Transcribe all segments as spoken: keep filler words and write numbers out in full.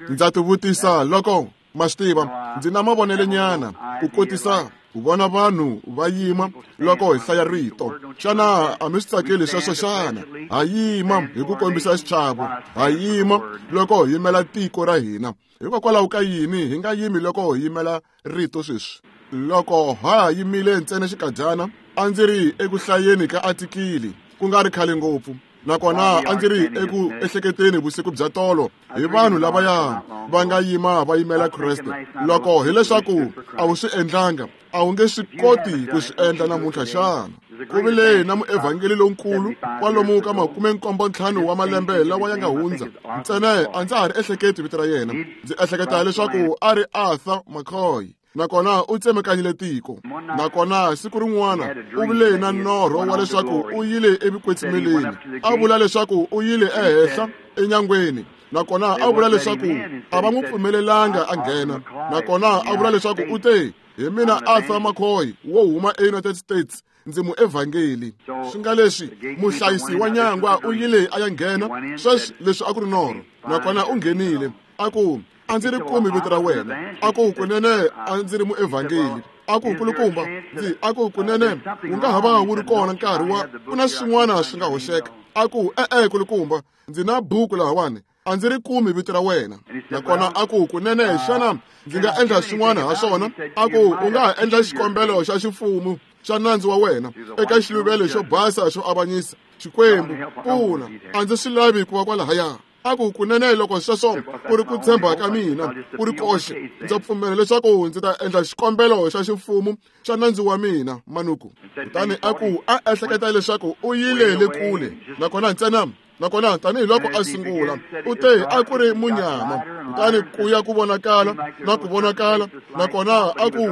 Ndza tivutisa loko ma swi tiva, ndzi na mavonelenyana ku kotisa ku vona vanhu va yima loko hi hlaya rito. Xana a mi swi tsakeli sweswo xana? Ha yima hi ku kombisa xichavo, ha yima loko hi yimela tiko ra hina. Hikokwalaho ka yini hi nga yimi loko hi yimela rito sweswi? Loko ha yimile ntsena xikadyana, a ndzi ri eku hlayeni ka atikili ku nga ri khale ngopfu, nakona a ndzi ri eku ehleketeni vusiku bya tolo hi vanhu lavaya va nga yima va yimela Kreste. Loko hileswaku a wu swi endlanga, a wu nge swi koti ku swi endla namuntlha xana? Ku vile na muevhangeli lonkulu kwalomu ka makume nkombo ntlhanu wa malembe lawa ya nga hundza. Ntsena a ndza ha ri ehleketi vito ra yena. Ndzi ehleketa leswaku a ri Arthur McCoy. Nakona u tsemekanyile tiko. Nakona siku rin'wana u vile na norho wa leswaku u yile evukwetsimeleni. A vula leswaku u yile ehenhla enyangweni. Nakona a vula leswaku a va n'wi pfumelelanga a nghena. Nakona a vula leswaku u te, hi mina Arthur McCoy wo huma eUnited States, ndzi muevhangeli. Swi nga leswi muhlayisi wa nyangwa u yile a ya nghena. Sweswi leswi a ku ri norho. Nakona u nghenile. A ku, a ndzi ri kumi vito ra wena. A ku, kunene a ndzi ri muevhangeli. A ku, nkulukumba, ndzi a ku, kunene wu nga ha va wu ri kona nkarhi wa ku na swin'wana swi nga hoxeka. A ku, e-e nkulukumba, ndzi na buku lahawani, a ndzi ri kumi vito ra wena. Nakona a ku, kunene xana ndzi nga endla swin'wana ha swona? A ku, u nga ha endla xikombelo xa ximfumo xa nandzu wa wena eka xiluvelo xo basa xo avanyisa. Xikwembu, pfuna, a ndzi swi lavi ku va kwalahaya. A ku, kunene loko sweswo ku ri ku tshemba ka mina ku ri koxe, ndza pfumela leswaku ndzi ta endla xikombelo xa ximfumo xa nandzu wa mina manuku. Kutani a ku, a ehleketa leswaku u yile le kule. Nakona ntsena, nakona tanihiloko a sungula, u te a ku ri munyama. Kutani ku ya ku vonakala na ku vonakala. Nakona a ku,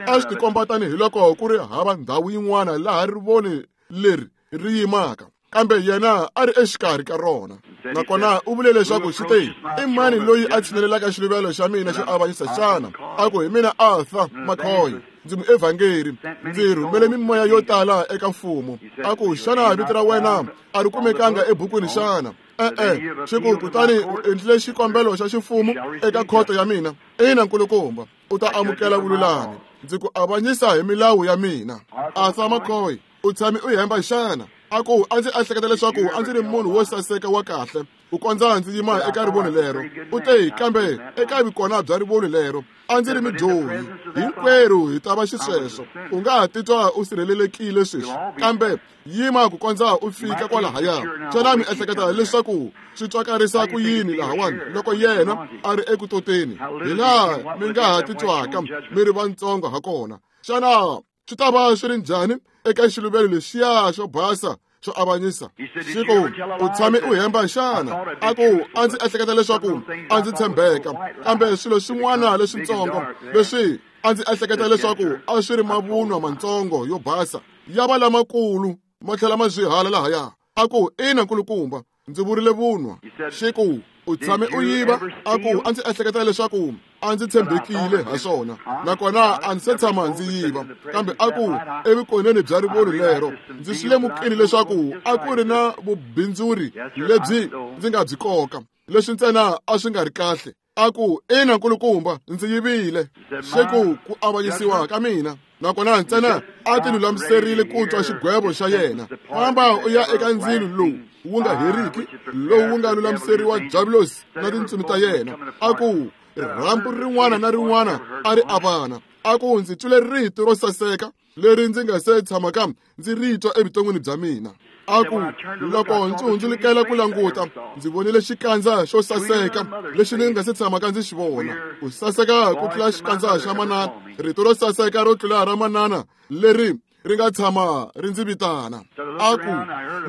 a swi tikomba tanihiloko ku ri hava ndhawu yin'wana laha rivoni leri ri yimaka, kambe yena a ri exikarhi ka rona. Nakona u vule leswaku xi te, i mani loyi a tshinelelaka xiluvelo xa mina xo avanyisa xana? A ku, hi mina Arthur McCoy, ndzi muevhangeri, ndzi rhumele mimoya yo tala eka mfumo. A ku, xana vito ra wena a ri kumekanga ebukwini xana? E-e, xi ku, kutani u endlile xikombelo xa ximfumo eka khoto ya mina. Ina nkulukumba, u ta amukela vululami. Ndzi ku avanyisa hi milawu ya mina. Arthur McCoy, u tshame u hemba xana? A ku, a ndzi ehleketa leswaku a ndzi ri munhu wo saseka wa kahle ku kondza ndzi yima eka rivoni lero. U te, kambe eka vukona bya rivoni lero a ndzi ri mudyohi. Hinkwerhu hi ta va xisweswo. U nga ha titwa u sirhelelekile sweswi, kambe yima ku kondza u fika kwalahaya. Xana mi ehleketa leswaku swi twakarisa ku yini lahawani loko yena a ri eku toteni, hi laha mi nga ha titwaka mi ri vantsongo ha kona? Xana swi ta va swi ri njhani eka xiluvelo lexiya xo basa xo avanyisa? Xi ku, u tshame u hemba xana? A ku, a ndzi ehleketa leswaku a ndzi tshembeka, kambe swilo swin'wana leswitsongo leswi a ndzi ehleketa leswaku a swi ri mavunwa mantsongo yo basa ya va lamakulu ma tlhela ma zwihala lahaya. A ku, ina nkulukumba, ndzi vurile vunwa. Xi ku, u tshame u yiva? A ku, a ndzi ehleketa leswaku a ndzi tshembekile ha swona, nakona a ndzi se tshama ndzi yiva. Kambe a ku, evukoneni bya rivoni lero ndzi swi lemukile leswaku a ku ri na vubindzuri lebyi ndzi nga byi koka, leswi ntsena a swi nga ri kahle. A ku, ina nkulukumba, ndzi yivile. Xi ku, ku avanyisiwa ka mina. Nakona ntsena a ti lulamiserile ku twa xigwevo xa yena. Famba u ya eka ndzilo lowu wu nga heriki, lowu wu nga lulamiseriwa Diabulosi na tintsumi ta yena. A ku, rhambu rin'wana na rin'wana a ri avana. A ku, ndzi twile rito ro saseka leri ndzi nga se tshamaka ndzi ri twa evuton'wini bya mina. A ku, loko ndzi hundzulukela ku languta, ndzi vonile xikandza xo saseka lexi ndzi nga se tshamaka ndzi xi vona. Ku saseka ku tlula xikandza xa manana, rito ro saseka ro tlula ra manana leri ri nga tshama ri ndzi vitana. A ku,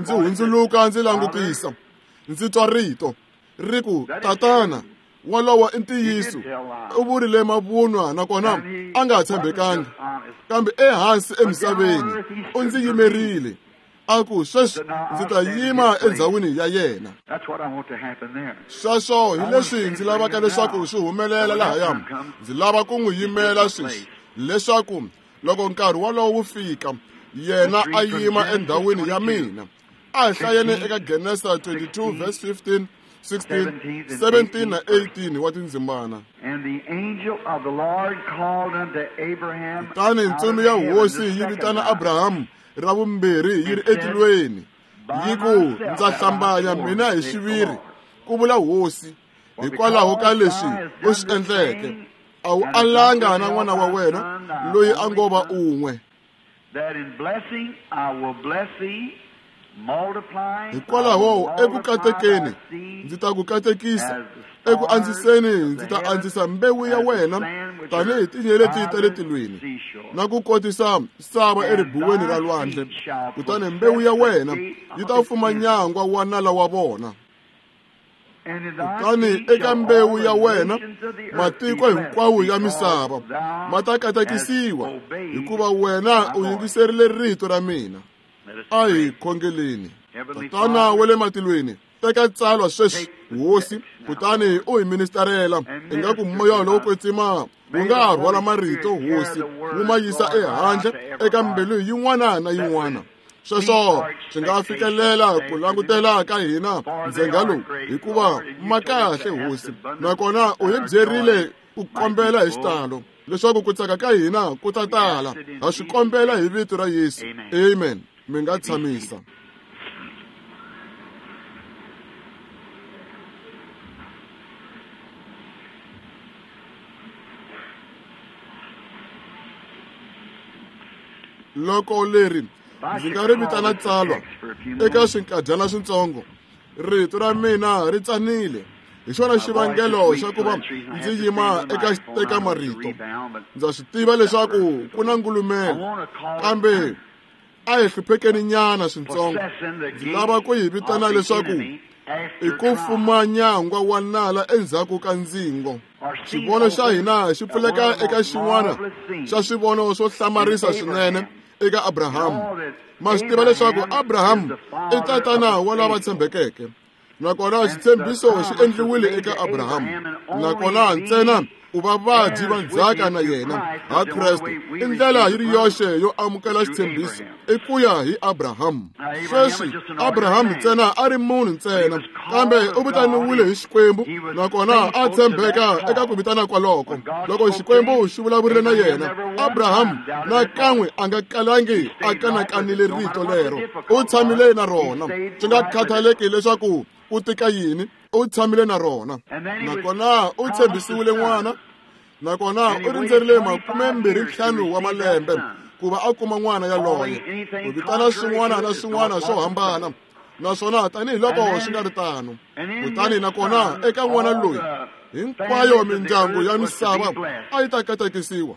ndzi hundzuluka ndzi langutisa, ndzi twa rito ri ku, tatana, walowo i ntiyiso. U vurile mavunwa nakona a nga tshembekanga, kambe ehansi emisaveni u ndzi yimerile. A ku, sweswi ndzi ta yima endzhawini ya yena. Sweswo hi leswi ndzi lavaka leswaku swi humelela lahaya. Ndzi lava ku n'wi yimela sweswi, leswaku loko nkarhi wolowo wu fika, yena a yima endhawini ya mina. A hi hlayeni eka Genesa twenty-two verse fifteen, sixteen, seventeen na eighteen wa tindzimana. Kutani ntsumi ya hosi yi vitana Abrahamu ra vumbirhi yi ri etilweni, yi ku, ndza hlambanya mina hi xiviri, ku vula hosi, hikwalaho ka leswi u swi endleke, a wu alanga na n'wana wa wena loyi a ngo va un'we. Hikwalaho eku katekeni ndzi ta ku katekisa, eku andziseni ndzi ta andzisa mbewu ya wena tanihi tinyeleti ta le tilweni, na ku kotisa sava eribuweni ra lwandle, kutani mbewu ya wena yi ta fuma nyangwa wa nala wa vona. Kutani eka mbewu ya wena matiko hinkwawo ya misava ma ta katekisiwa, hikuva wena u yingiserile rito ra mina. A hi khongeleni. Tatana wa le matilweni, teka tsalwa sweswi hosi, kutani u hi ministarela ingaku moya lowo kwetsima wu nga ha rhwala marito hosi, wu ma yisa ehandle eka mbilu yin'wana na yin'wana. Sweswo swi nga fikelela ku langutela ka hina ndzhenga lowu, hikuva ma kahle hosi, nakona u hi byerile ku kombela hi xitalo leswaku ku tsaka ka hina ku ta tala. Ha swi kombela hi vito ra Yesu, amen. Mi nga tshamisa. Loko leri ndzi nga ri vitana tsalwa eka swinkadyana swintsongo, rito ra mina ri tsanile, hi xona xivangelo xa ku va ndzi yima eka eka marito. Ndza swi tiva leswaku ku na ngulumelo, kambe a hi hluphekeni nyana swintsongo. Ndzi lava ku yi vitana leswaku i ku fuma nyangwa wa nala endzhaku ka ndzingo. Xivono xa hina xi pfuleka eka xin'wana xa swivono swo hlamarisa swinene eka Abrahamu. Ma swi tiva leswaku Abrahamu i tatana wa lava tshembekeke, nakona xitshembiso xi endliwile eka Abrahamu, nakona ntsena u va vadyi va ndzhaka na yena ha Kreste. I ndlela yi ri yoxe yo amukela xitshembiso i ku ya hi Abrahamu. Sweswi Abrahamu ntsena a ri munhu ntsena, kambe u vitaniwile hi Xikwembu, nakona a tshembeka eka ku vitana kwaloko. Loko Xikwembu xi vulavurile na yena, Abrahamu nakan'we a nga kalangi a kanakanile rito lero, u tshamile na rona, swi nga khathaleki leswaku u tika yini, u tshamile na rona. Nakona u tshembisiwile n'wana, nakona u rindzerile makumembirhi ntlhanu wa malembe ku va a kuma n'wana yaloye. U vitana swin'wana na swin'wana swo hambana, naswona tanihiloko swi nga ri tano. Kutani nakona eka n'wana loyi hinkwayo mindyangu ya misava a yi ta katekisiwa.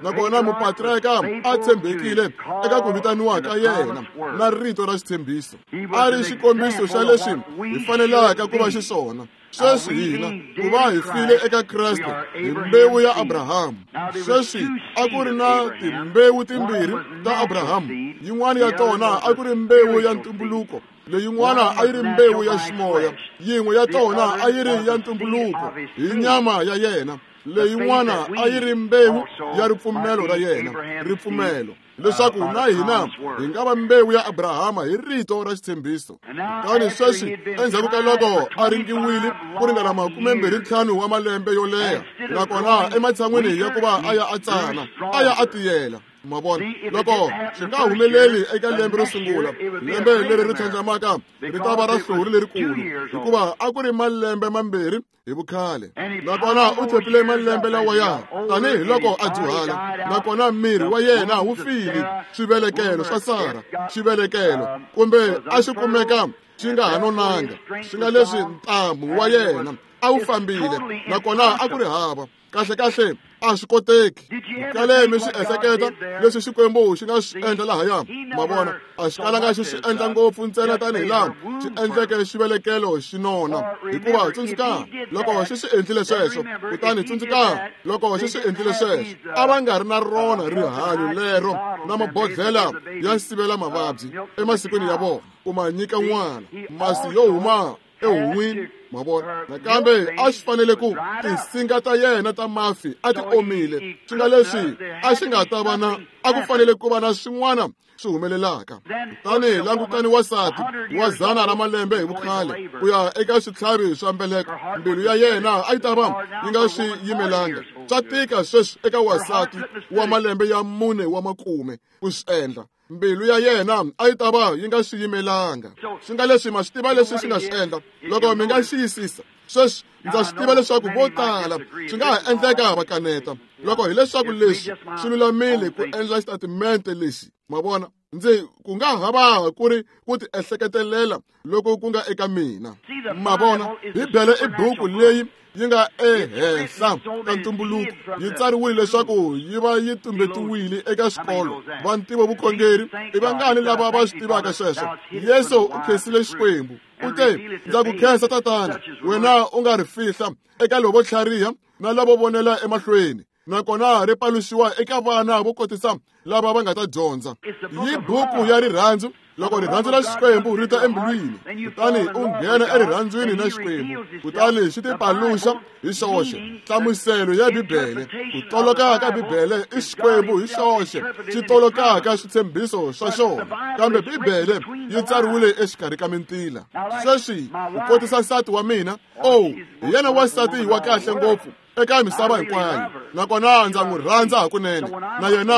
Nakona mupatriarka a tshembekile eka ku vitaniwa ka yena na rito ra xitshembiso. A ri xikombiso xa leswi hi fanelaka ku va xiswona. Sweswi hina ku va hi file eka Kreste hi mbewu ya Abrahamu. Sweswi a ku ri na timbewu timbirhi ta Abrahamu, yin'wana ya tona a ku ri mbewu ya ntumbuluko, leyin'wana a yi ri mbewu ya ximoya. Yin'we ya tona a yi ri ya ntumbuluko hi nyama ya yena, leyin'wana a yi ri mbewu ya ripfumelo ra yena, ripfumelo leswaku na hina hi nga va mbewu ya Abrahama hi rito ra xitshembiso. Kutani sweswi endzhaku ka loko a ringiwile ku ringana makumembirhi ntlhanu wa malembe yo leha, nakona ematshan'wini ya ku va a ya a tsana, a ya a tiyela. Ma vona, loko swi nga humeleli eka lembe ro sungula, lembe leri ri tlhandlamaka ri ta va ra hlori lerikulu, hikuva a ku ri malembe mambirhi hi vukhale. Nakona u tshepile malembe lawaya tanihiloko a dyuhala, nakona miri wa yena wu file. Swivelekelo swa Sara, xivelekelo kumbe a xi kumeka xi nga ha nonanga, swi nga leswi ntamu wa yena a wu fambile, nakona a ku ri hava. Kahle kahle a swi koteki. Kale mi swi ehleketa leswi Xikwembu xi nga swi endla lahaya. Ma vona, a xi kalanga xi swi endla ngopfu ntsena tanihi laha xi endleke xivelekelo xi nona, hikuva tsundzuka loko xi swi endlile sweswo, kutani tsundzuka loko xi swi endlile sweswo, a va nga ri na rona rihanyo lero na mabodhlela ya sivela mavabyi emasikwini ya vona ku ma nyika n'wana masi yo huma Ehon'wini, ma vona. Nakambe a xi fanele ku tinsinga ta yena ta mafi a ti omile, swi nga leswi a xi nga ta va na a ku fanele ku va na swin'wana swi humelelaka. Kutani langutani wansati wa dzana ra malembe hi vukhale ku ya eka switlhavi swa mbeleko, mbilu ya yena a yi ta va yi nga swi yimelanga. Swa tika sweswi eka wansati wa malembe ya mune wa makume ku swi endla. Mbilu ya yena a yi ta va yi nga swi yimelanga. Swi nga leswi ma swi tiva leswi swi nga swi endla loko mi nga xiyisisa. Sweswi ndza swi tiva leswaku vo tala swi nga ha endleka va kaneta loko hileswaku leswi swi lulamile ku endla xitatimente lexi, ma vona. Ndzi ku nga ha va ku ri ku ti ehleketelela loko ku nga eka mina, ma vona. Bibele i buku leyi yi nga ehenhla ka ntumbuluko, yi tsariwile leswaku yi va yi tumbetiwile eka swikolo va ntivo vukhongeri. I vangani lava va swi tivaka sweswo? Yesu u khensile Xikwembu, u te, ndza ku khensa Tatana, wena u nga ri fihla eka lovo tlhariha na lavo vonela emahlweni, nakona ri paluxiwa eka vana vo kotisa lava va nga ta dyondza. Yi buku ya rirhandzu. Loko rirhandzu ra Xikwembu ri ta embilwini, kutani u nghena erirhandzwini na Xikwembu, kutani xi tipaluxa hi xoxe. Nhlamuselo ya Bibele, ku toloka ka Bibele i Xikwembu hi xoxe xi tolokaka switshembiso swa xona, kambe Bibele yi tsariwile exikarhi ka mintila. Sweswi ku kotisa nsati wa mina, oh, hi yena wansati wa kahle ngopfu eka misava hinkwayo, nakona ndza n'wi rhandza hakunene, na yena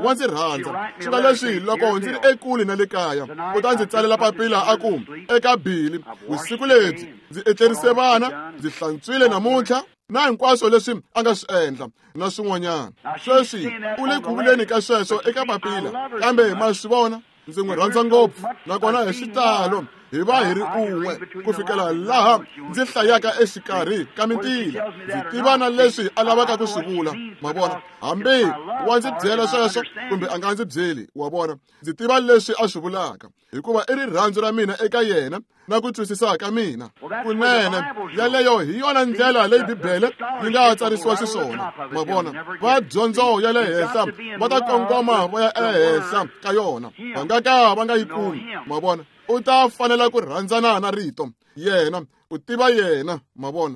wa ndzi rhandza. Swi nga leswi loko ndzi ri ekule na le kaya, u ta ndzi tsalela papila a ku, eka Bili, vusiku lebyi ndzi etlerise vana, ndzi hlantswile namuntlha, na hinkwaswo leswi a nga swi endla na swin'wanyana. Sweswi u le ku vuleni ka sweswo eka papila, kambe ma swi vona, ndzi n'wi rhandza ngopfu, nakona hi xitalo hi va hi ri un'we ku fikela laha ndzi hlayaka exikarhi ka mintila. Ndzi tiva na leswi a lavaka ku swi vula, ma vona. Hambi wa ndzi byela sweswo kumbe a nga ndzi byeli, wa vona, ndzi tiva leswi a swi vulaka, hikuva i rirhandzu ra mina eka yena na ku twisisa ka mina. Kunene yaleyo hi yona ndlela leyi Bibele yi nga tsarisiwa xiswona, ma vona. Va dyondzo ya le henhla va ta kongoma va ya ehenhla ka yona, va nga ka va nga yi kumi, ma vona. U ta fanela ku rhandzana na rito yena, u tiva yena, ma vona.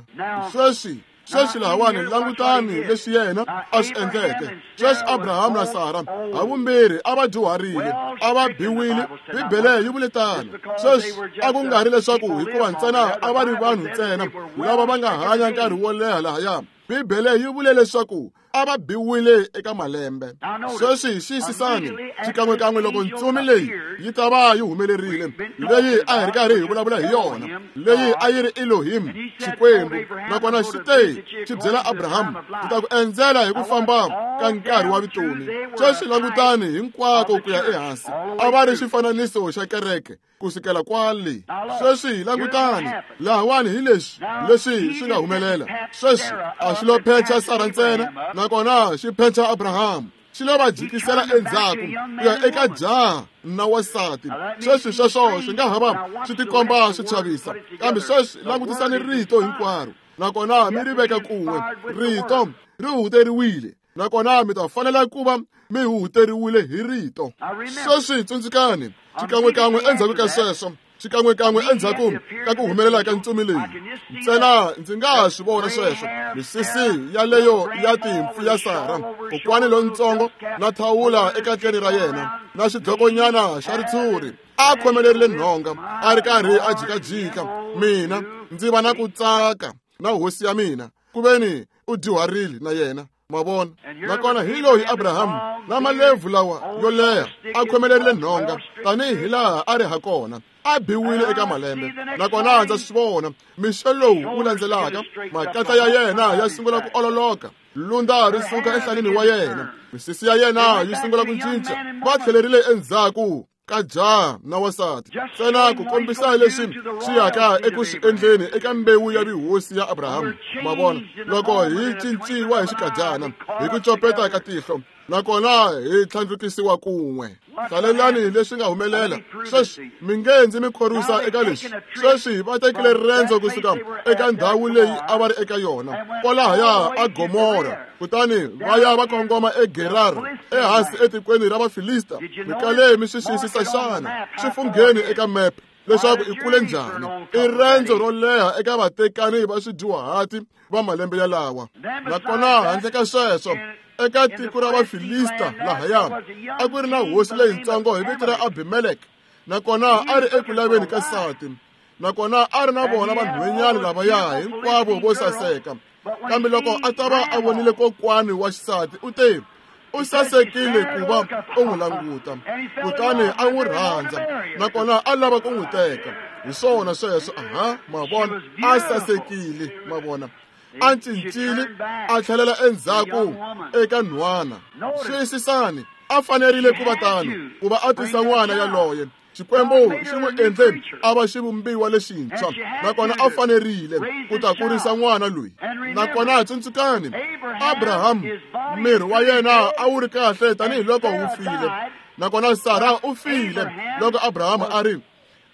Sweswi sweswi lahawani langutani leswi yena a swi endleke. Sweswi Abrahamu na Sara havumbirhi a va dyuharile, a va biwile, Bibele yi vule tano. Sweswi a ku nga ri leswaku hikuva ntsena a va ri vanhu ntsena lava va nga hanya nkarhi wo leha lahaya, Bibele yi vule leswaku a va biwile eka malembe. Sweswi xiyisisani xikan'wekan'we loko ntsumi leyi yi ta va yi humelerile, leyi a hi ri karhi hi vulavula hi yona, leyi a yi ri Elohim, Xikwembu, nakona xi te xi byela Abrahamu, ndzi ta ku endzela hi ku famba ka nkarhi wa vutomi. Sweswi langutani hinkwako ku ya ehansi, a va ri xifananiso xa kereke ku sukela kwale. Sweswi langutani lahawani hi leswi leswi swi nga humelela. Sweswi a xi lo phecha Sara ntsena, nakona xi phecha Abrahamu, xi lo va jikisela endzhaku ku ya eka jaha na wansati. Sweswi sweswo swi nga ha va swi tikomba swi chavisa, kambe sweswi langutisani rito hinkwaro, nakona mi ri veka kun'we. Rito ri huhuteriwile, nakona mi ta fanela ku va mi huhuteriwile hi rito. Sweswi tsundzukani, xikan'wekan'we endzhaku ka sweswo, xikan'wekan'we endzhaku ka ku humelela ka ntsumi leyi, ntsena ndzi nga ha swi vona sweswo, misisi yaleyo ya timpfu ya Sara, kokwani lontsongo na thawula ekatleni ra yena na xidlokonyana xa ritshuri, a khomelerile nhonga, a ri karhi a jikajika. Mina ndzi va na ku tsaka na hosi ya mina, ku veni u dyuharile na yena, ma vona. Nakona hi loyi Abrahamu na malebvu lawa yo leha a khomelerile nhonga tanihi laha a ri ha kona, a biwile eka malembe. Nakona ndza swi vona mixo lowu wu landzelaka, makatla ya yena ya sungula ku ololoka, lunda ri suka enhlanini wa yena, misisi ya yena yi sungula ku cinca. Va tlhelerile endzhaku ka jaha na wansati, ntsena ku kombisa leswi swi yaka eku swi endleni eka mbewu ya vuhosi ya Abrahamu, ma vona. Loko hi cinciwa hi xikadyana, hi ku copeta ka tihlo, nakona hi tlhandlukisiwa kun'we. Hlalelani leswi nga humelela. Sweswi mi nge ndzi mi khorwisa eka leswi. Sweswi va tekile riendzo kusuka eka ndhawu leyi a va ri eka yona kwalahaya a Gomora, kutani va ya va kongoma eGerar, ehansi etikweni ra Vafilista. Mi kale mi swi xiyisisa xana? Swi fungheni eka mepe. leswaku i kule njhani. I rendzo ro leha eka vatekani va swidyuhati va malembe yalawa. Nakona handle ka sweswo, eka tiko ra Vafilista lahaya a ku ri na hosi leyitsongo hi vito ra Abimelek, nakona a ri eku laveni ka nsati, nakona a ri na vona vanhwenyana lavaya hinkwavo vo saseka. Kambe loko a ta va a vonile kokwani wa xisati, u te, u sasekile ku va u n'wi languta, kutani a n'wi rhandza, nakona a lava ku n'wi teka. Hi swona sweswo. Aha, ma vona, a sasekile, ma vona. A cincile a tlhelela endzhaku eka nhwana. Xiyisisani, a fanerile ku va tano, ku va a tisa n'wana yaloye. Xikwembu xi n'wi endle a va xivumbiwa lexintshwa, nakona a fanerile ku ta kurisa n'wana loyi. Nakona tsundzukani, Abraham miri wa yena a wu ri kahle tanihiloko wu file, nakona Sara u file loko Abraham a ri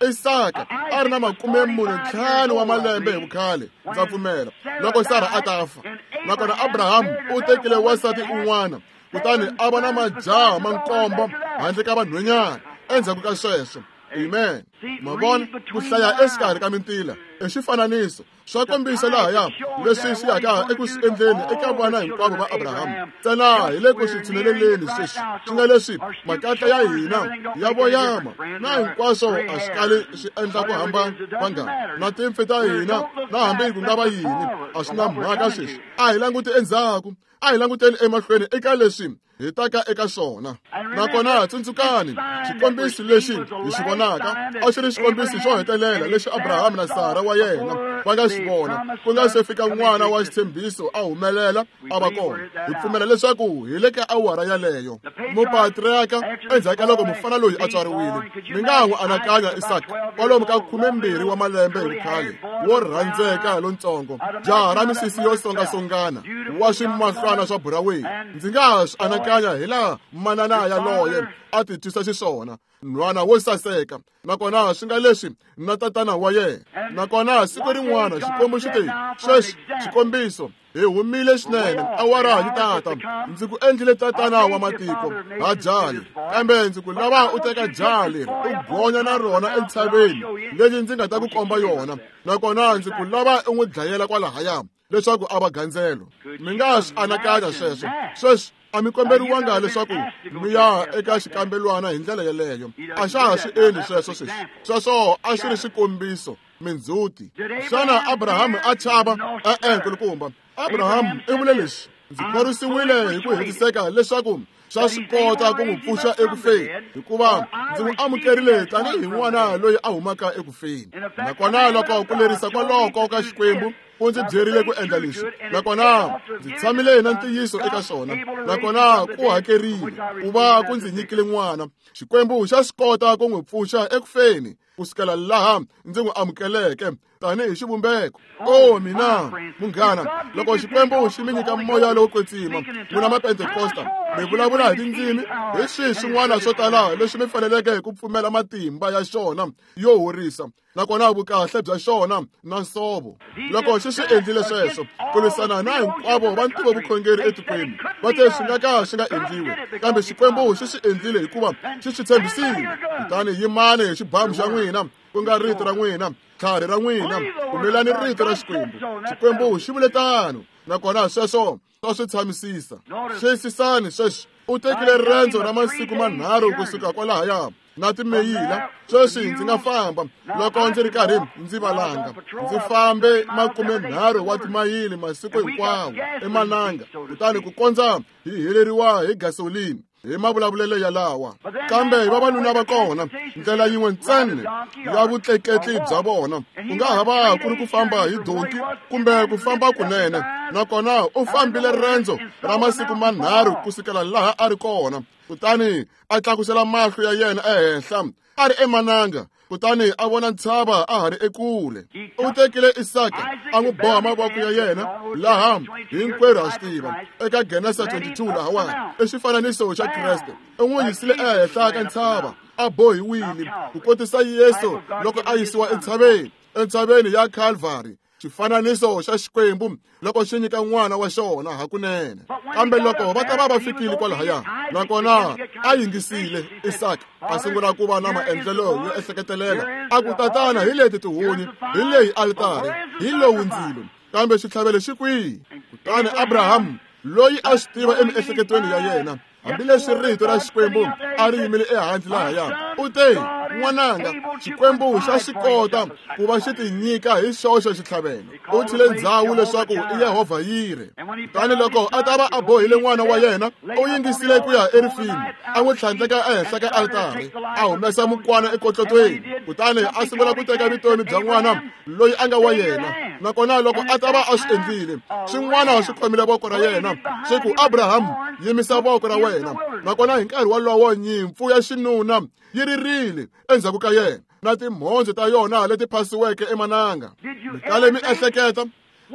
Isaka a ri na makume mune ntlhanu wa malembe hi vukhale, ndza pfumela, loko Sara a ta fa. Nakona Abraham u tekile wansati un'wana, kutani a va na majaha ma nkombo handle ka vanhwenyana endzhaku ka sweswo. Amen. Ma vona, ku hlaya exikarhi ka mintila i xifananiso swa kombisa lahaya leswi swi yaka eku swi endleni eka vana hinkwavo va Abraham. Ntsena hi le ku swi tshuneleleni sweswi, swi nga leswi makatla ya hina ya voyama na hinkwaswo a swi kali swi endla ku hambana vangani na timpfi ta hina na hambi ku nga va yini, a swi na mhaka sweswi. A hi languti endzhaku, a hi languteni emahlweni eka leswi hi taka eka swona. Nakona tsundzukani, xikombiso lexi hi xi vonaka a xi ri xikombiso xo hetelela lexi Abraham na Sara wa yena va nga xi vona ku nga se fika n'wana wa xitshembiso a humelela a va kona. Hi pfumela leswaku hi le ka awara yaleyo. Mupatriarka endzhaku ka loko mufana loyi a tswariwile, mi nga n'wi anakanya Isaka kwalomu ka khumembirhi wa malembe hi vukhale, wo rhandzeka lontsongo, jaha ra misisi yo songasongana, wa swimahlwana swa buraweni. Ndzi nga swi anakanya hi laha manana yaloye a ti twisa xiswona, nhwana wo saseka, nakona swi nga leswi na tatana wa yena. Nakona siku rin'wana Xikwembu xi te, sweswi xikombiso, hi humile swinene, awara yi tata, ndzi ku endlile tatana wa matiko ha jaha leri, kambe ndzi ku lava u teka jaha leri u gonya na rona entshaveni leyi ndzi nga ta ku komba yona, nakona ndzi ku lava u n'wi dlayela kwalahaya leswaku a va gandzelo. Mi nga swi anakanya sweswo. Sweswi a mi komberiwanga leswaku mi ya eka xikambelwana hi ndlela yeleyo. A xa ha swi endli sweswo sweswi. Sweswo a swi ri xikombiso, mindzhuti. Xana Abraham a chava? E-e, nkulukumba. Abraham i vule leswi, ndzi khorwisiwile hi ku hetiseka leswaku swa swi kota ku n'wi pfuxa eku feni, hikuva ndzi n'wi amukerile tanihi n'wana loyi a humaka eku feni. Nakona loko ku lerisa kwaloko ka Xikwembu ku ndzi byerile ku endla leswi, nakona ndzi tshamile na ntiyiso eka swona, nakona ku hakerile ku va ku ndzi nyikile n'wana. Xikwembu xa swi kota ku n'wi pfuxa eku feni kusukela laha ndzi n'wi amukeleke tanihi xivumbeko. O mina munghana, loko Xikwembu xi mi nyika moya lowo kwetsima, n'wina Mapentekosta mi vulavula hi tindzimi, hi swihi swin'wana swo tala leswi mi faneleke ku pfumela matimba ya xona yo horisa, nakona vukahle bya xona na nsovo. Loko xi swi endlile sweswo ku lwisana na hinkwavo va ntivo vukhongeri etikweni, va te swi nga ka swi nga endliwi, kambe Xikwembu xi swi endlile hikuva xi swi tshembisile. Kutani yimani hi xibamu xa n'wina, ku nga rito ra n'wina, tlhari ra n'wina, pfumelani rito ra Xikwembu. Xikwembu xi vule tano, nakona sweswo swa swi tshamisisa. Xiyisisani sweswi, u tekile rendzo ra masiku manharhu kusuka kwalahaya na timeyila. Sweswi ndzi nga famba loko ndzi ri karhi ndzi valanga, ndzi fambe makume nharhu wa timayili masiku hinkwawo emananga, kutani ku kondza hi heleriwa hi gasolini hi mavulavulelo yalawa. Kambe vavanuna va kona, ndlela yin'we ntsena ya vutleketli bya vona ku nga ha va ku ri ku famba hi donki kumbe ku famba kunene, nakona u fambile rendzo ra masiku manharhu kusukela laha a ri kona. Kutani a tlakusela mahlo ya yena ehenhla a ri emananga, kutani a vona ntshava a ha ri ekule. U tekile Isaka a n'wi boha mavoko ya yena, laha hinkwerhu ha swi tiva eka Genesa twenty-two lahawani i xifananiso xa Kreste. U n'wi yisile ehenhla ka ntshava a bohiwile ku kotisa Yesu loko a yisiwa entshaveni, entshaveni ya Calvary, Xifananiso xa Xikwembu loko xi nyika n'wana wa xona hakunene. Kambe loko va ta va va fikile kwalahaya, nakona a yingisile Isaka a sungula ku va na maendlelo yo ehleketelela. A ku, tatana, hi leti tihunyi, hi leyi alitari, hi lowu ndzilo, kambe xitlhavelo xi kwihi? Kutani Abrahamu, loyi a swi tiva emiehleketweni ya yena, hambileswi rito ra Xikwembu a ri yimile ehandle lahaya, u te, n'wananga, Xikwembu xa swi kota ku va xi tinyika hi xoxe xitlhavelo. U tshile ndzhawu leswaku i Yehovha Yire. Kutani loko a ta va a bohile n'wana wa yena, u yingisile ku ya erifini, a n'wi tlhandleka ehenhla ka altari, a humesa mukwana ekotlotweni, kutani a sungula ku teka vutomi bya n'wana loyi a nga wa yena. Nakona loko a ta va a swi endlile, swin'wana swi khomile voko ra yena, swi ku, Abrahamu, yimisa voko ra wena. Nakona hi nkarhi wolowo nyimpfu ya xinuna yi ririle endzhaku ka yena, na timhondzo ta yona leti phasiweke emananga. Mi kale mi ehleketa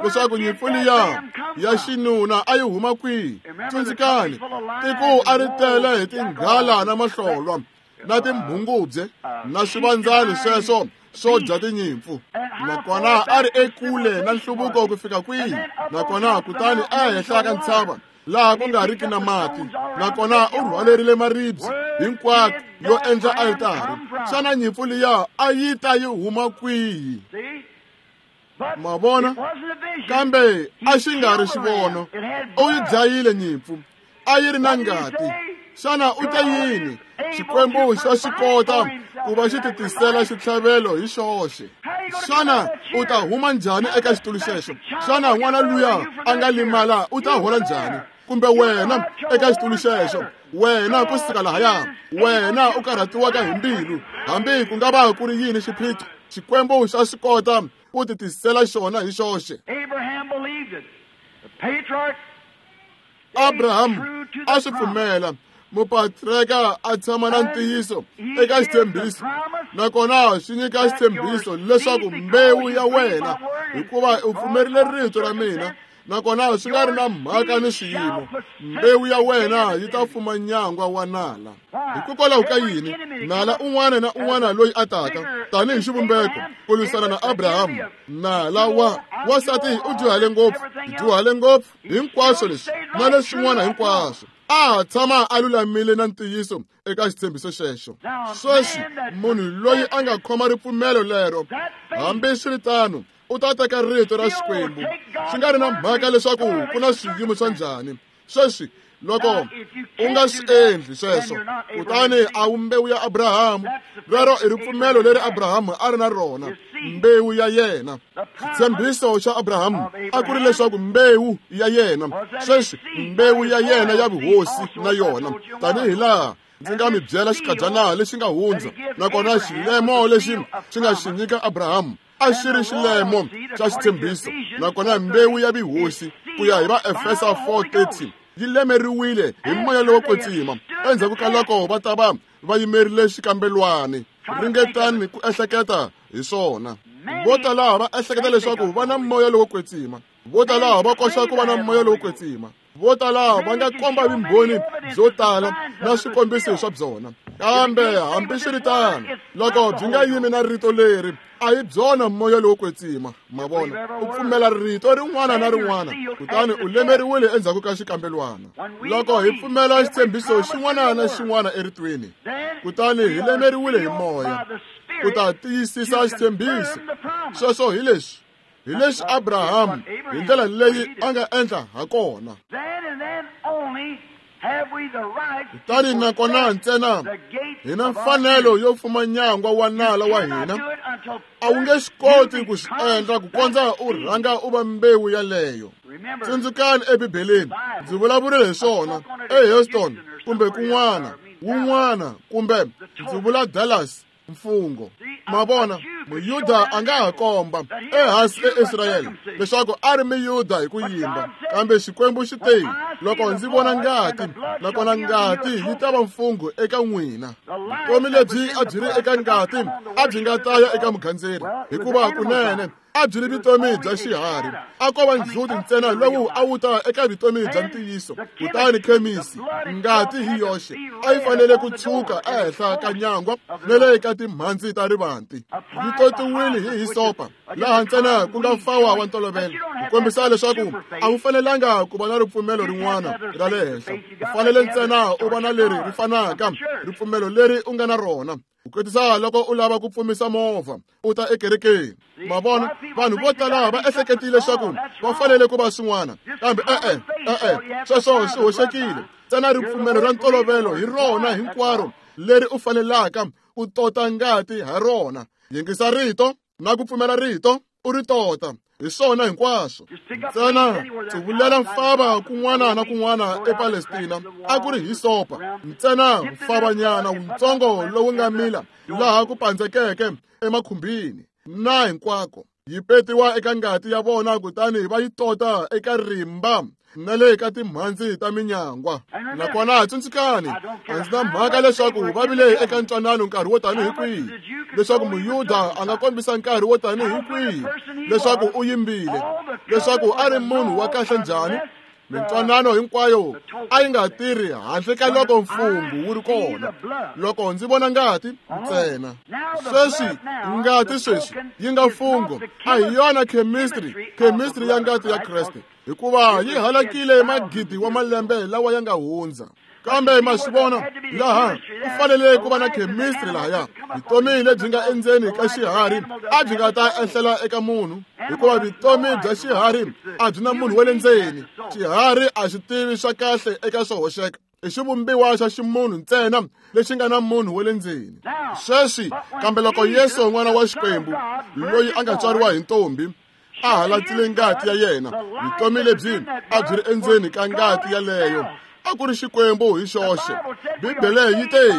leswaku nyimpfu liya ya xinuna a yi huma kwihi? Tsundzukani, tiko a ri tele hi tinghala na mahlolwa na timhungubye na swivandzani sweswo swo dya tinyimpfu. Nakona a ri ekule na nhluvuko ku fika kwihi? Nakona kutani ehenhla ka ntshava laha ku nga riki na mati, nakona u rhwalerile maribye hinkwako yo endla altari. Xana nyimpfu liya a yi ta yi huma kwihi? Ma vona? Kambe a xi nga ri xivono. U yi dlayile nyimpfu, a yi ri na ngati. Xana u te yini? Xikwembu xa swi kota ku va xi titisela xitlhavelo hi xoxe. Xana u ta huma njhani eka xitulu xexo? Xana n'wana luya a nga limala u ta hola njhani? Kumbe wena eka xitulu xexo, wena ku suka lahaya, wena u karhatiwaka hi mbilu, hambi ku nga va ku ri yini xiphiqo, Xikwembu xa swi kota ku titisela xona hi xoxe. Abraham a swi pfumela. Mupatreka a tshama na ntiyiso eka xitshembiso, nakona xi nyika xitshembiso leswaku mbewu ya wena, hikuva u pfumerile rito ra mina, nakona swi nga ri na mhaka ni swiyimo, mbewu ya wena yi ta fuma nyangwa wa nala. Hikokwalaho ka yini? Nala un'wana na un'wana loyi a taka tanihi xivumbeko ku lwisana na Abrahamu, nala wa wansati u dyuhale ngopfu, dyuhale ngopfu, hinkwaswo leswi na leswin'wana hinkwaswo, a tshama a lulamile na ntiyiso eka xitshembiso xexo. Sweswi munhu loyi a nga khoma ripfumelo lero, hambiswiritano u ta teka rito ra Xikwembu, swi nga ri na mhaka leswaku ku na swiyimo swa njhani. Sweswi loko u nga swi endli sweswo, kutani a wu mbewu ya Abrahamu. Rero i ripfumelo leri Abrahamu a ri na rona, mbewu ya yena. Xitshembiso xa Abrahamu a ku ri leswaku mbewu ya yena, sweswi mbewu ya yena ya vuhosi na yona, tanihi laha ndzi nga mi byela xikadyana lexi nga hundza, nakona xilemo lexi xi nga xi nyika Abrahamu a xi ri xilemo xa xitshembiso. Nakona mbewu ya vuhosi ku ya hi va Efesa four thirty yi lemeriwile hi moya lowo kwetsima endzhaku ka loko va ta va va yimerile xikambelwani. Ringetani ku ehleketa hi swona. Vo tala va ehleketa leswaku va na moya lowo kwetsima, vo tala va koxa ku va na moya lowo kwetsima, vo tala va nga komba vumbhoni byo tala na swikombiso swa byona, kambe hambiswiritano loko byi nga yimi na rito leri, a hi byona moya lowo kwetsima. Ma vona, u pfumela rito rin'wana na rin'wana, kutani u lemeriwile endzhaku ka xikambelwana. Loko hi pfumela xitshembiso xin'wana na xin'wana eritweni, kutani hi lemeriwile hi moya ku ta tiyisisa xitshembiso sweswo. Hi leswi hi leswi Abrahamu hi ndlela leyi a nga endla ha kona. Kutani nakona ntsena hi na mfanelo yo fuma nyangwa wa nala wa hina. A wu nge swi koti ku swi endla ku kondza u rhanga u va mbewu yaleyo. Tsundzukani eBibeleni, ndzi vulavurile hi swona eHouston kumbe kun'wana wun'wana, kumbe ndzi vula Dallas, mfungho. Ma vona, Muyuda a nga ha komba ehansi eIsrayele leswaku a ri Muyuda hi ku yimba, kambe Xikwembu xi te, loko ndzi vona ngati, nakona ngati yi ta va mfungho eka n'wina. Vutomi lebyi a byi ri eka ngati a byi nga ta ya eka mugandzeri, hikuva kunene a byi ri vutomi bya xiharhi. A ko va ndzhuti ntsena lowu a wu ta eka vutomi bya ntiyiso. Kutani khemisi, ngati hi yoxe a yi fanele ku tshuka ehenhla ka nyangwa na le ka timhandzi ta rivanti, yi totiwile hi hisopa laha ntsena ku nga mfawa wa ntolovelo ku kombisa leswaku a wu fanelanga ku va na ripfumelo rin'wana ra le henhla u fanele ntsena u va na leri ri fanaka ripfumelo leri u nga na rona ku kotisa loko u lava ku pfumisa movha u ta ekerekeni ma vona vanhu vo tala va ehleketile leswaku va fanele ku va swin'wana kambe e-e e-e sweswo swi hoxekile ntsena ripfumelo ra ntolovelo hi rona hinkwaro leri u fanelaka u tota ngati ha rona yingisa rito na ku pfumela rito u ri tota hi swona hinkwaswo ntsena tsuvulela mfava kun'wana na kun'wana ePalestina a ku ri hisopa ntsena mfavanyana wutsongo lowu nga mila laha ku pandzekeke emakhumbini na hinkwako yi petiwa eka ngati ya vona kutani va yi tota eka rimba na le ka timhandzi ta minyangwa nakona tsundzukani a ndzi na mhaka leswaku va vile eka ntwanano nkarhi wo tani hi kwihi leswaku muyuda a nga kombisa nkarhi wo tani hi kwihi leswaku u yimbile leswaku a ri munhu wa kahle njhani mintwanano hinkwayo a yi nga tirhi handle ka loko mfungho wu ri kona loko ndzi vona ngati ntsena sweswi ngati sweswi yi nga mfungho a hi yona chemistry chemistry ya ngati ya Kreste hikuva yi halakile magidi wa malembe lawa ya nga hundza kambe ma swi vona laha ku fanele ku va na chemistry lahaya vutomi lebyi nga endzeni ka xiharhi a byi nga ta ehlela eka munhu hikuva vutomi bya xiharhi a byi na munhu wa le ndzeni xiharhi a xi tivi swa kahle eka swo hoxeka i xivumbiwa xa ximunhu ntsena lexi nga na munhu wa le ndzeni sweswi kambe loko Yesu n'wana wa Xikwembu loyi a nga tswariwa hi ntombi a halatile ngati ya yena vutomi lebyi a byi ri endzeni ka ngati yaleyo a ku ri Xikwembu hi xoxe Bibele yi te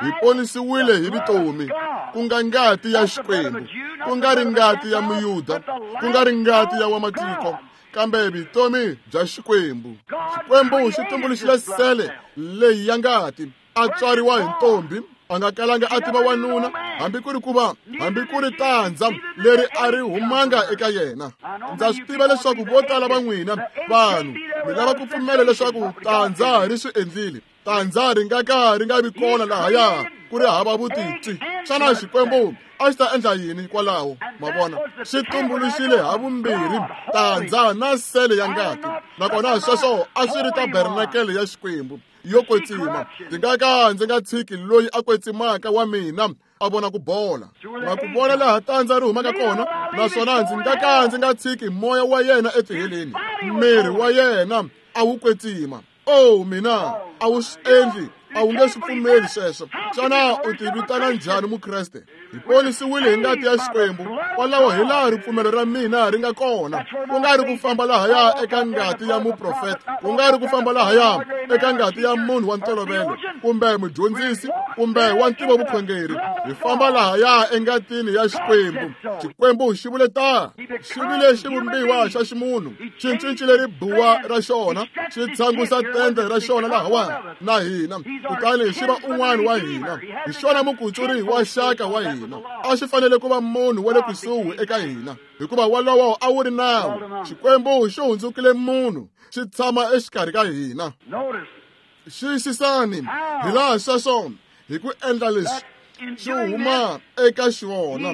hi ponisiwile hi vutomi ku nga ngati ya Xikwembu ku nga ri ngati ya muyuda ku nga ri ngati ya wamatiko kambe vutomi bya Xikwembu Xikwembu xi tumbuluxile sele leyi ya ngati a tswariwa hi ntombi a nga kalanga a tiva wanuna hambi ku ri ku va hambi ku ri tandza leri a ri humanga eka yena ndza swi tiva leswaku vo tala va n'wina vanhu mi lava ku pfumela leswaku tandza ri swi endlile tandza ri nga ka ri nga vi kona lahaya ku ri hava vutitwi xana Xikwembu a xi ta endla yini kwalaho ma vona xi tumbuluxile ha vumbirhi tandza na sele ya ngati nakona sweswo a swi ri tabernakele ya Xikwembu yo kwetsima ndzi nga ka ndzi nga tshiki loyi a kwetsimaka wa mina a vona ku bola ma ku vona laha tandza ri humaka kona naswona ndzi nga ka ndzi nga tshiki moya wa yena etiheleni miri wa yena a wu kwetsima oh mina a wu swi endli a wu nge swi pfumeli sweswo xana u ti vitana njhani mukreste hi ponisiwile hi ngati ya Xikwembu kwalaho hi laha ripfumelo ra mina ri nga kona ku nga ri ku famba lahaya eka ngati ya muprofeta ku nga ri ku famba lahaya eka ngati ya munhu wa ntolovelo kumbe mudyondzisi kumbe wa ntivo vukhongeri hi famba lahaya engatini ya Xikwembu Xikwembu xi vule ta xi vile xivumbiwa xa ximunhu xi cincile ribuwa ra xona xi tshangusa tende ra xona lahawa na hina kutani xi va un'wana wa hina hi xona mukutsuri wa xaka wa hina a xi fanele ku va munhu wa le kusuhi eka hina hikuva walowo a wu ri nawu Xikwembu xi hundzukile munhu xi tshama exikarhi ka hina xiyisisani hi laha sweswo hi ku endla leswi xi huma eka xona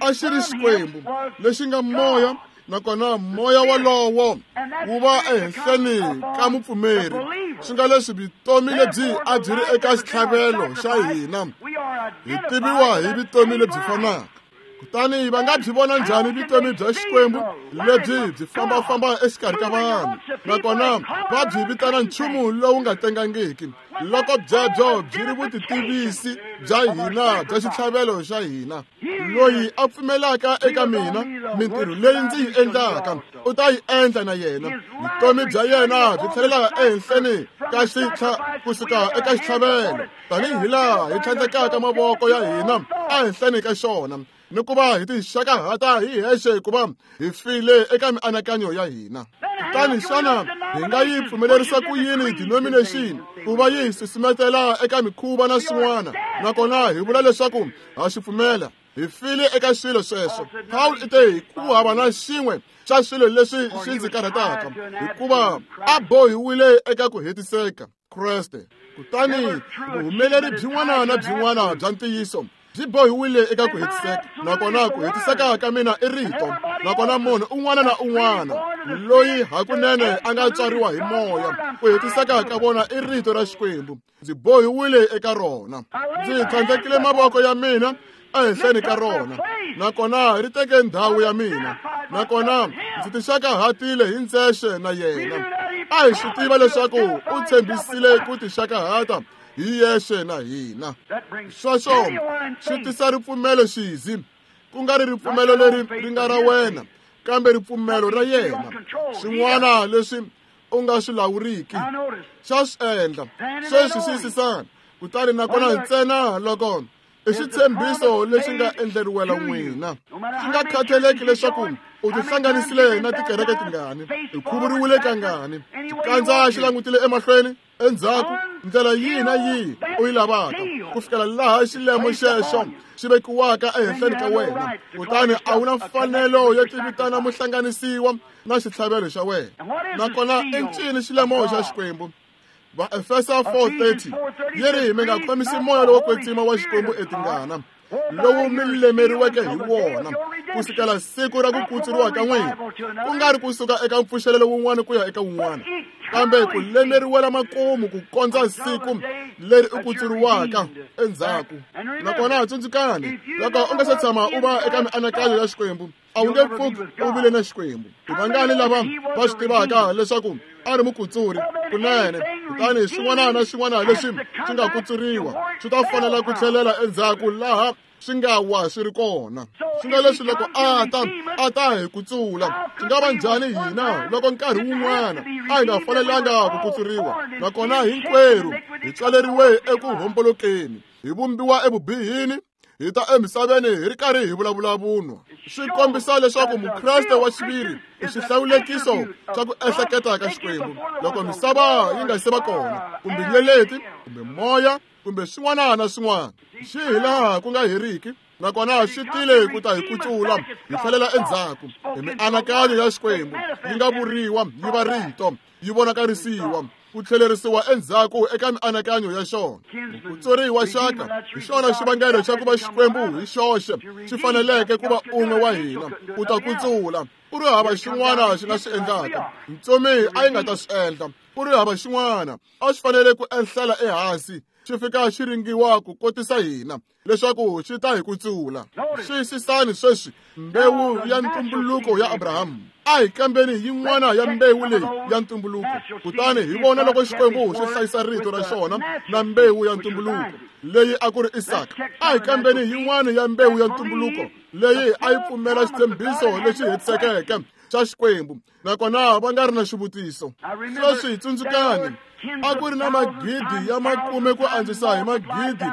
a xi ri Xikwembu lexi nga moya nakona moya walowo wu va ehenhleni ka mupfumeri swi nga leswi vutomi lebyi a byi ri eka xitlhavelo xa hina hi tiviwa hi vutomi lebyi fanaka kutani va nga byi vona njhani vutomi bya Xikwembu lebyi byi fambafamba exikarhi ka vanhu nakona va byi vitana nchumu lowu nga tengangiki loko byebyo byi ri vutitivisi bya hina bya xitlhavelo xa hina loyi a pfumelaka eka mina mintirho leyi ndzi yi endlaka u ta yi endla na yena vutomi bya yena byi tlhelela ehenhleni ka xitlha kusuka eka xitlhavelo tanihi laha hi tlhandlekaka mavoko ya hina ehenhleni ka xona ni ku va hi tixakahata hi hexe hikuva hi file eka mianakanyo ya hina kutani xana hi nga yi pfumelerisa ku yini denomination ku va yi susumetela eka mikhuva na swin'wana nakona hi vula leswaku ha xi pfumela hi file eka swilo sweswo Paul i te ku hava na xin'we xa swilo leswi swi ndzi karhataka hikuva a bohiwile eka ku hetiseka Kreste kutani vuhumeleri byin'wana na byin'wana bya ntiyiso Byi bohiwile eka ku hetiseka, nakona ku hetiseka ka mina i rito. Nakona munhu un'wana na un'wana loyi hakunene a nga tswariwa hi moya, ku hetiseka ka vona i rito ra Xikwembu. Ndzi bohiwile eka rona. Ndzi tlhandlekile mavoko ya mina ehenhleni ka rona, nakona ri teke ndhawu ya mina, nakona ndzi tixakahatile hi ndzexe na yena. A hi swi tiva leswaku u tshembisile ku tixakahata hi yexe na hina. Sweswo swi tisa ripfumelo xizi, ku nga ri ripfumelo leri ri nga ra wena, kambe ripfumelo ra yena. Swin'wana leswi u nga swi lawuriki xa swi endla. Sweswi xiyisisana. Kutani nakona ntsena loko i xitshembiso lexi nga endleriwela n'wina, swi nga khathaleki leswaku u tihlanganisile na tikereke tingani, u khuvuriwile kangani, xikandza xi langutile emahlweni, endzhaku, ndlela yihi na yihi u yi lavaka, ku fikela laha xilemo xexo xi vekiwaka ehenhleni ka wena. Kutani a wu na mfanelo yo tivitana muhlanganisiwa na xitlhavelo xa wena. Nakona i ncini xilemo xa Xikwembu? Vaefesa four thirty yi ri mi nga khomisi moya lowo kwetsima wa Xikwembu etingana, lowu mi lemeriweke hi wona ku sukela siku ra ku kutsuriwa ka n'wina, ku nga ri kusuka eka mpfuxelelo wun'wana ku ya eka wun'wana, kambe ku lemeriwela makumu ku kondza siku leri u kutsuriwaka endzhaku. Nakona tsundzukani, loko u nga se tshama u va eka mianakanyo ya Xikwembu, a wu nge pfuki u vile na Xikwembu. I vangani lava va swi tivaka leswaku a ri mukutsuri kunene? Kutani xin'wana na xin'wana lexi xi nga kutsuriwa swi ta fanela ku tlhelela endzhaku laha swi nga wa swi ri kona. Swi nga leswi loko a ta a ta hi kutsula, swi nga va njhani hina loko nkarhi wun'wana a hi nga fanelanga ku kutsuriwa? Nakona hinkwerhu hi tswaleriwe eku hombolokeni, hi vumbiwa evubihini, hi ta emisaveni hi ri karhi hi vulavula vunwa. Swi kombisa leswaku mukreste wa xiviri i xihlawulekiso xa ku ehleketa ka Xikwembu. Loko misava yi nga se va kona, kumbe nyeleti, kumbe moya, kumbe swin'wana na swin'wana, xi hi laha ku nga heriki, nakona xi tile ku ta hi kutsula hi tlhelela endzhaku hi mianakanyo ya Xikwembu yi nga vuriwa yi va rito, yi vonakarisiwa, ku tlhelerisiwa endzhaku eka mianakanyo ya xona. Mukutsuri wa xaka hi xona xivangelo xa ku va Xikwembu hi xoxe xi faneleke ku va un'we wa hina ku ta kutsula. Ku ri hava xin'wana xi nga swi endlaka, ntsumi a yi nga ta swi endla. Ku ri hava xin'wana a swi fanele ku enhlela ehansi, xi fika xi ringiwa ku kotisa hina leswaku xi ta hi kutsula. Xiyisisani sweswi mbewu ya ntumbuluko ya Abrahamu. A hi kambeni yin'wana ya mbewu leyi ya ntumbuluko, kutani hi vona loko Xikwembu xi hlayisa rito ra xona na mbewu ya ntumbuluko leyi a ku ri Isaka. A hi kambeni yin'wana ya mbewu ya ntumbuluko leyi a yi pfumela xitshembiso lexi hetisekeke xa Xikwembu, nakona va nga ri na xivutiso. Sweswi tsundzukani, a ku ri na magidi ya makume ku andzisa hi magidi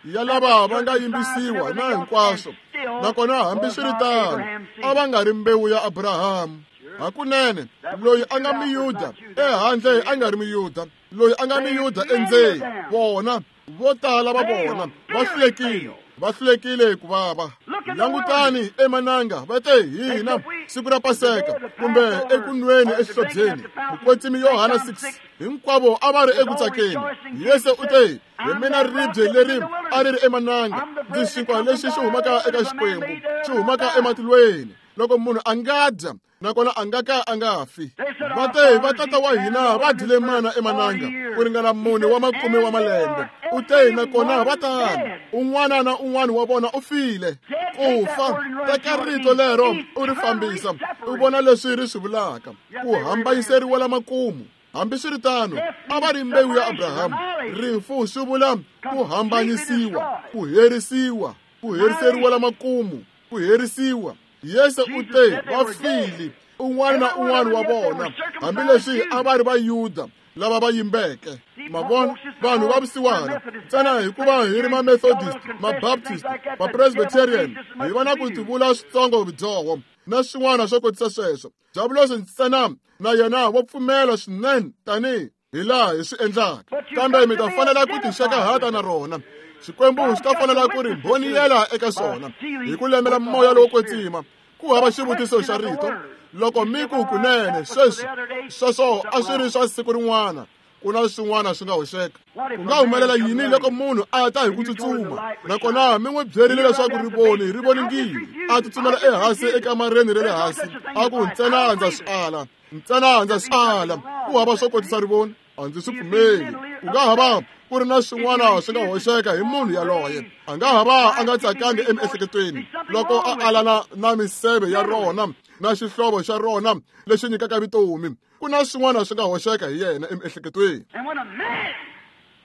ya lava va nga yimbisiwa na hinkwaswo, nakona hambiswiritano a va nga ri mbewu ya Abrahamu. Hakunene loyi a nga miyuda ehandle a nga ri miyuda, loyi a nga miyuda endzeni, vona vo tala va vona va hlulekile, va hlulekile ku vava. Langutani emananga, va te hina siku ra Paseka kumbe ekunweni exihlobyeni, mukwetsimi Yohana six, hinkwavo a va ri eku tsakeni. Yesu u te, hi mina ribye leri a ri ri emananga, ndzi xinkwa lexi xi humaka eka Xikwembu, xi humaka ematilweni. Loko munhu a nga dya, nakona a nga ka a nga fi. Va te va tata wa hina va dyile mana emananga ku ringana mune wa makume wa malembe. U te nakona va tano, un'wana na un'wana wa vona u file. Ku fa, teka rito lero u ri fambisa, u vona leswi ri swi vulaka, ku hambanyiseriwa makumu. Hambiswiritano a va ri mbewu ya Abrahamu. Rifu swi vula ku hambanyisiwa, ku herisiwa, ku heriseriwa makumu, ku herisiwa. Yesu u te va file, un'wana na un'wana wa vona, hambileswi a va ri Vayuda lava va yimbeke. Ma vona, vanhu va vusiwana ntsena hikuva hi ri ma-Methodist, ma-Baptist, ma-Presbyterian, hi va na ku tivula switsongo vudyoho na swin'wana swo kotisa sweswo. Diabulosi ntsena na yena wa pfumela swinene tanihi hi laha hi swi endlaka, kambe mi ta fanela ku tixakahata na rona. Xikwembu xi ta fanela ku ri mbhoniyela eka xona hi ku lemela moya lowo kwetsima. Ku hava xivutiso xa rito. Loko mi ku kunene sweswi sweswo a swi ri swa siku rin'wana, ku Ku na swin'wana swi nga hoxeka. Ku nga humelela yini loko munhu a ta hi ku tsutsuma, nakona mi n'wi byerile leswaku rivoni ri voningile, a tsutsumela ehansi ekamareni ra le hansi, a ku ntsena ndza swi ala, ntsena ndza swi ala, ku hava swo kotisa rivoni, a ndzi swi pfumeli. Ku nga hava ku ri na swin'wana swi nga hoxeka hi munhu yaloye. A nga hava a nga tsakangi emiehleketweni loko a alana na miseve ya rona na xihlovo xa rona lexi nyikaka vutomi. Ku na swin'wana swi nga hoxeka hi yena emiehleketweni.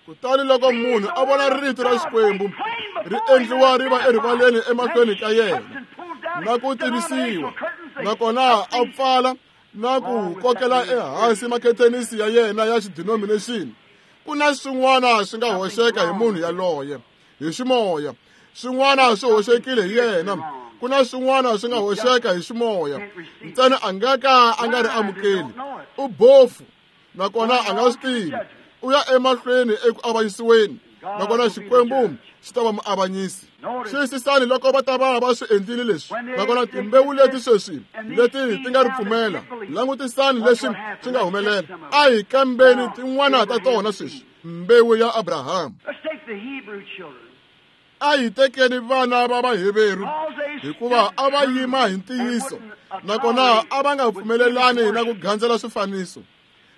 Kutani loko munhu a vona rito ra Xikwembu ri endliwa ri va erivaleni emahlweni ka yena na ku tivisiwa, nakona a pfala na ku kokela ehansi makhetenisi ya yena ya xidenomination, ku na swin'wana swi nga hoxeka hi munhu yaloye hi ximoya. Swin'wana swi hoxekile hi yena. Ku na swin'wana swi nga hoxeka hi ximoya. Ntsena a nga ka a nga ri amukeli. U bofu, nakona a nga swi tivi. U ya emahlweni eku avanyisiweni, nakona Xikwembu xi ta va muavanyisi. Xiyisisani loko va ta va va swi endlile leswi, nakona timbewu leti sweswi leti ti nga ri pfumela, langutisani leswi swi nga humelela. A hi kambeni tin'wana ta tona sweswi. Mbewu ya Abraham. A hi tekeni vana va Vaheveru, hikuva a va yima hi ntiyiso, nakona a va nga pfumelelani na ku gandzela swifaniso.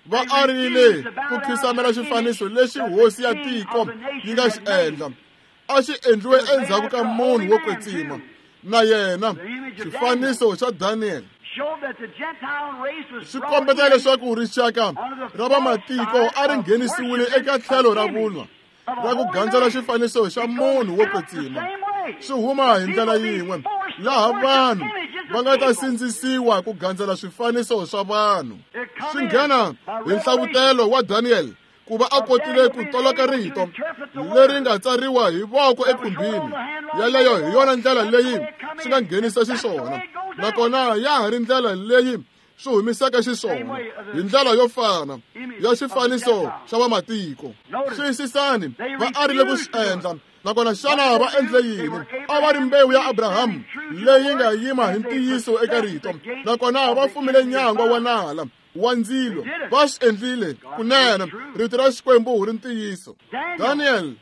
Va arile ku khisamela xifaniso lexi hosi ya tiko yi nga xi endla. A xi endliwe endzhaku ka munhu wo kwetsima, na yena xifaniso xa Daniel swi kombeta leswaku rixaka ra vamatiko a ri nghenisiwile eka tlhelo ra vunwa ra ku gandzela xifaniso xa munhu wo kwetsima. Swi huma hi ndlela yin'we laha vanhu va nga ta sindzisiwa ku gandzela swifaniso swa vanhu. Swi nghena hi nhlavutelo wa Daniel ku va a kotile ku toloka rito leri nga tsariwa hi voko ekhumbini. Yaleyo hi yona ndlela leyi swi nga nghenisa xiswona, nakona ya ha ri ndlela leyi swi humisaka xiswona hi ndlela yo fana ya xifaniso xa vamatiko. Xiyisisani, va arile ku swi endla. Nakona xana va endle yini? A va ri mbewu ya Abraham leyi nga yima hi ntiyiso eka rito, nakona va fumile nyangwa wa nala wa ndzilo. Va swi endlile kunene. Rito ra Xikwembu ri ntiyiso. Daniel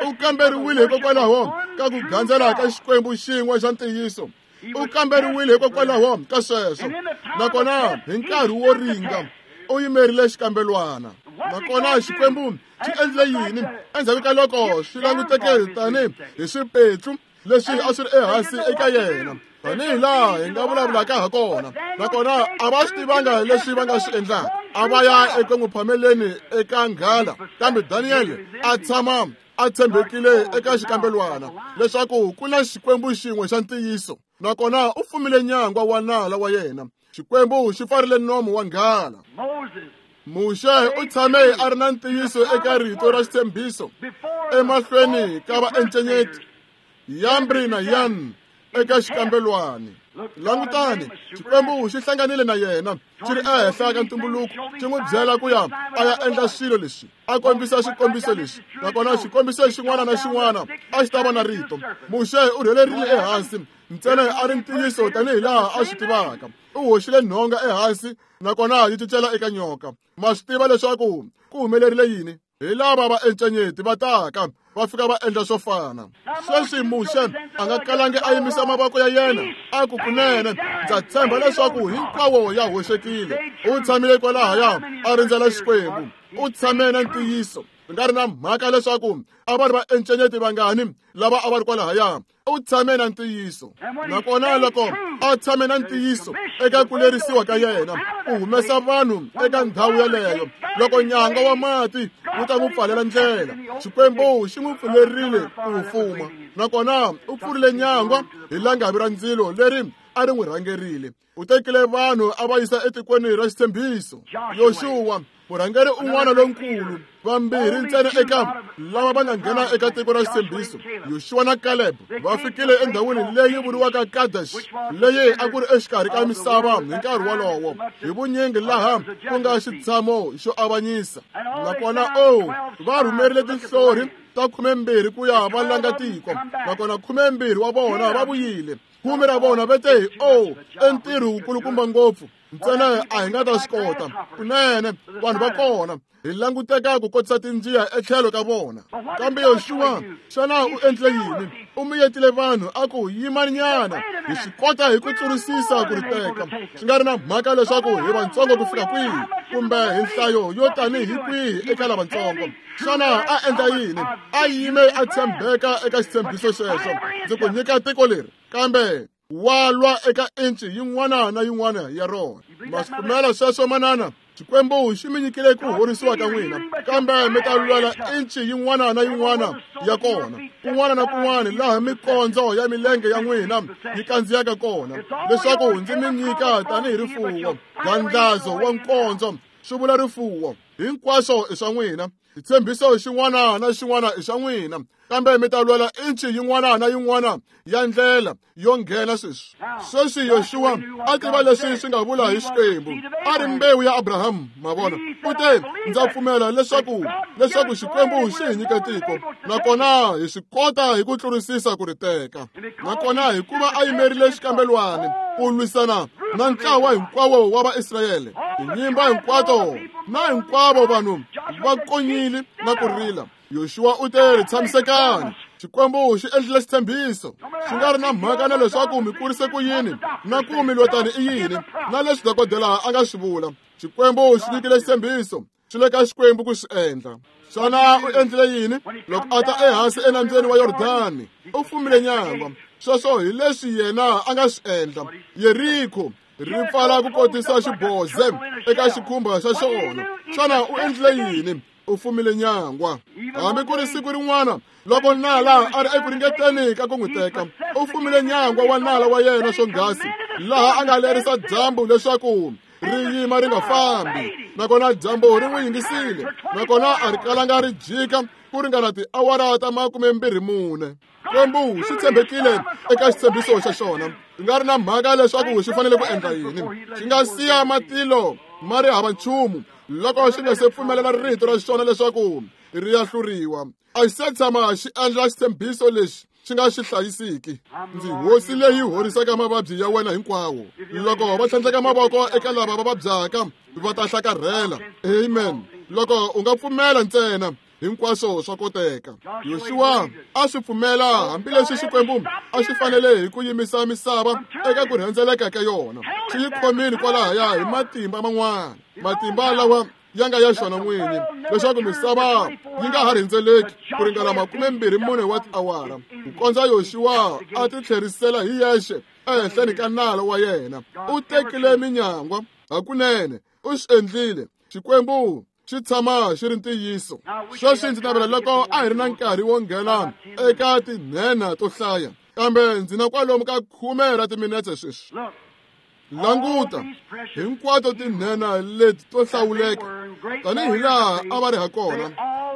u kamberiwile hikokwalaho ka ku gandzela ka Xikwembu xin'we xa ntiyiso. U kamberiwile hikokwalaho ka sweswo, nakona hi nkarhi wo ringa u yimerile xikambelwana. Nakona Xikwembu xi endle yini endzhaku ka loko swi languteke tani hi swipetlu leswi a swi ri ehansi eka yena, tanihi laha hi nga vulavulaka ha kona? Nakona a va swi tivanga leswi va nga swi endlaka. A va ya eku n'wi phameleni eka nghala, kambe Daniel a tshama a tshembekile eka xikambelwana leswaku ku na Xikwembu xin'we xa ntiyiso, nakona u fumile nyangwa wa nala wa yena. Xikwembu xi pfarile nomu wa nghala. Muxe u tshame a ri na ntiyiso eka rito ra xitshembiso emahlweni ka vaencenyeti Yambri na Yan eka xikambelwani. Langutani, Xikwembu xi hlanganile na yena xi ri ehenhla ka ntumbuluko, xi n'wi byela ku ya a ya endla swilo leswi, a kombisa xikombiso lexi, nakona xikombiso xin'wana na xin'wana a xi ta va na rito. Muxe u rhelerile ehansi ntsena a ri ntiyiso tanihi laha a swi tivaka. U hoxile nhonga ehansi, nakona yi cincela eka nyoka. Ma swi tiva leswaku ku humelerile yini? Hi lava va encenyeti va taka va fika va endla swo fana. Sweswi Muxe a nga kalangi a yimisa mavoko ya yena a ku kunene ndza tshemba leswaku hinkwawo ya hoxekile. U tshamile kwalahaya a rindzela Xikwembu. U tshame na ntiyiso. Swi nga ri na mhaka leswaku a va ri va encenyeti vangani lava a va ri kwalahaya, u tshame na ntiyiso. Nakona loko a tshame na ntiyiso eka ku lerisiwa ka yena ku humesa vanhu eka ndhawu yaleyo, loko nyanga wa mati wu ta n'wi pfalela ndlela, Xikwembu xi n'wi pfulerile ku fuma. Nakona u pfurile nyangwa hi langavi ra ndzilo leri a ri n'wi rhangerile. U tekile vanhu a va yisa etikweni ra xitshembiso. Yoxuwa, murhangeri un'wana lonkulu, vambirhi ntsena eka lava va nga nghena eka tiko ra xitshembiso, Yoxuwa na Caleb, va fikile endhawini leyi vuriwaka Kadesh, leyi a ku ri exikarhi ka misava hi nkarhi wolowo, hi vunyingi laha ku nga xitshamo xo avanyisa. Nakona o va rhumerile tinhlori ta khumembirhi ku ya va langa tiko, nakona khumembirhi wa vona va vuyile. Khume ra vona va te, "Oh, i ntirho wukulukumba ngopfu, ntsena a hi nga ta swi kota." Kunene vanhu va kona hi languteka ku kotisa tinjiya etlhelo ka vona. Kambe Yoxuwa xana u endle yini? U miyetile vanhu a ku, "Yimanyana, hi swi kota hi ku tlurisisa ku ri teka." Swi nga ri na mhaka leswaku hi vantsongo ku fika kwihi kumbe hi nhlayo yo tanihi kwihi eka lavatsongo. Xana a endla yini? A yime a tshembeka eka xitshembiso xexo. Ndzi ku nyika tiko leri, kambe wa lwa eka inci yin'wana na yin'wana ya rona. Ma swi pfumela sweswo, manana? Xikwembu xi mi nyikile ku horisiwa ka n'wina, kambe mi ta lwela inci yin'wana na yin'wana ya kona, kun'wana na kun'wana laha mikondzo ya milenge ya n'wina yi kandziyaka kona, leswaku ndzi mi nyika tanihi rifuwo. Gandlazo wa nkondzo swi vula rifuwo. Hinkwaswo i swa n'wina. Xitshembiso xin'wana na xin'wana i xa n'wina, kambe mi ta lwela inci yin'wana na yin'wana ya ndlela yo nghena sweswi. Sweswi Yoxuwa a tiva leswi swi nga vula hi Xikwembu. A ri mbewu ya Abrahamu, ma vona. U te, "Ndza pfumela leswaku leswaku Xikwembu xi hi nyike tiko, nakona hi swi kota hi ku tlurisisa ku ri teka." Nakona hikuva a yimerile xikambelwani ku lwisana na ntlawa hinkwawo wa Vaisrayele, tinyimba hinkwato na hinkwavo vanhu va konyile na ku rila. Yoxuwa u te, "Tshamisekani, Xikwembu xi endlile xitshembiso." Swi nga ri na mhaka na leswaku mi kurise ku yini na ku mi lwetani i yini na leswi dokodela a nga swi vula, Xikwembu xi nyikile xitshembiso. Swi le ka Xikwembu ku swi endla. Xana u endlile yini loko a ta ehansi enambyeni wa Yordani? U fumile nyangwa. Sweswo hi leswi yena a nga swi endla. Yeriko ri pfala ku kotisa xiboze eka xikhumba xa xona. Xana u endlile yini? U fumile nyangwa. Hambi ku ri siku rin'wana loko nala a ri eku ringeteni ka ku n'wi teka, u fumile nyangwa wa nala wa yena swonghasi, laha a nga lerisa dyambu leswaku ri yima ri nga fambi. Nakona dyambu ri n'wi yingisile, nakona a ri kalanga ri jika ku ringana tiawara ta makumembirhi mune. Xikwembu xi tshembekile eka xitshembiso xa xona. Swi nga ri na mhaka leswaku xi fanele ku endla yini, xi nga siya matilo ma ri hava nchumu loko xi nga se pfumelela rito ra xona leswaku ri ya hluriwa. A xi se tshama xi endla xitshembiso lexi xi nga xi hlayisiki. Ndzi hosi leyi horisaka mavabyi ya wena hinkwawo. Loko va tlhandleka mavoko eka lava va vabyaka, va ta hlakarhela. Amen. Loko u nga pfumela ntsena, hinkwaswo swa koteka. Yoxuwa a swi pfumela hambileswi Xikwembu a xi fanele hi ku yimisa misava eka ku rhendzeleka ka yona. Xi yi khomile kwalahaya hi matimba man'wana, matimba lawa ya nga ya xona n'wini, leswaku misava yi nga ha rhendzeleki ku ringana makumembirhi mune wa tiawara, ku kondza Yoxuwa a ti tlherisela hi yexe ehenhleni ka nala wa yena. U tekile minyangwa hakunene, u swi endlile. Xikwembu xi tshama xi ri ntiyiso. Sweswi ndzi navela loko a hi ri na nkarhi wo nghena eka tinhenha to hlaya, kambe ndzi na kwalomu ka khume ra timinetse sweswi. Languta hinkwato tinhenha leti to hlawuleka tanihi laha a va ri ha kona,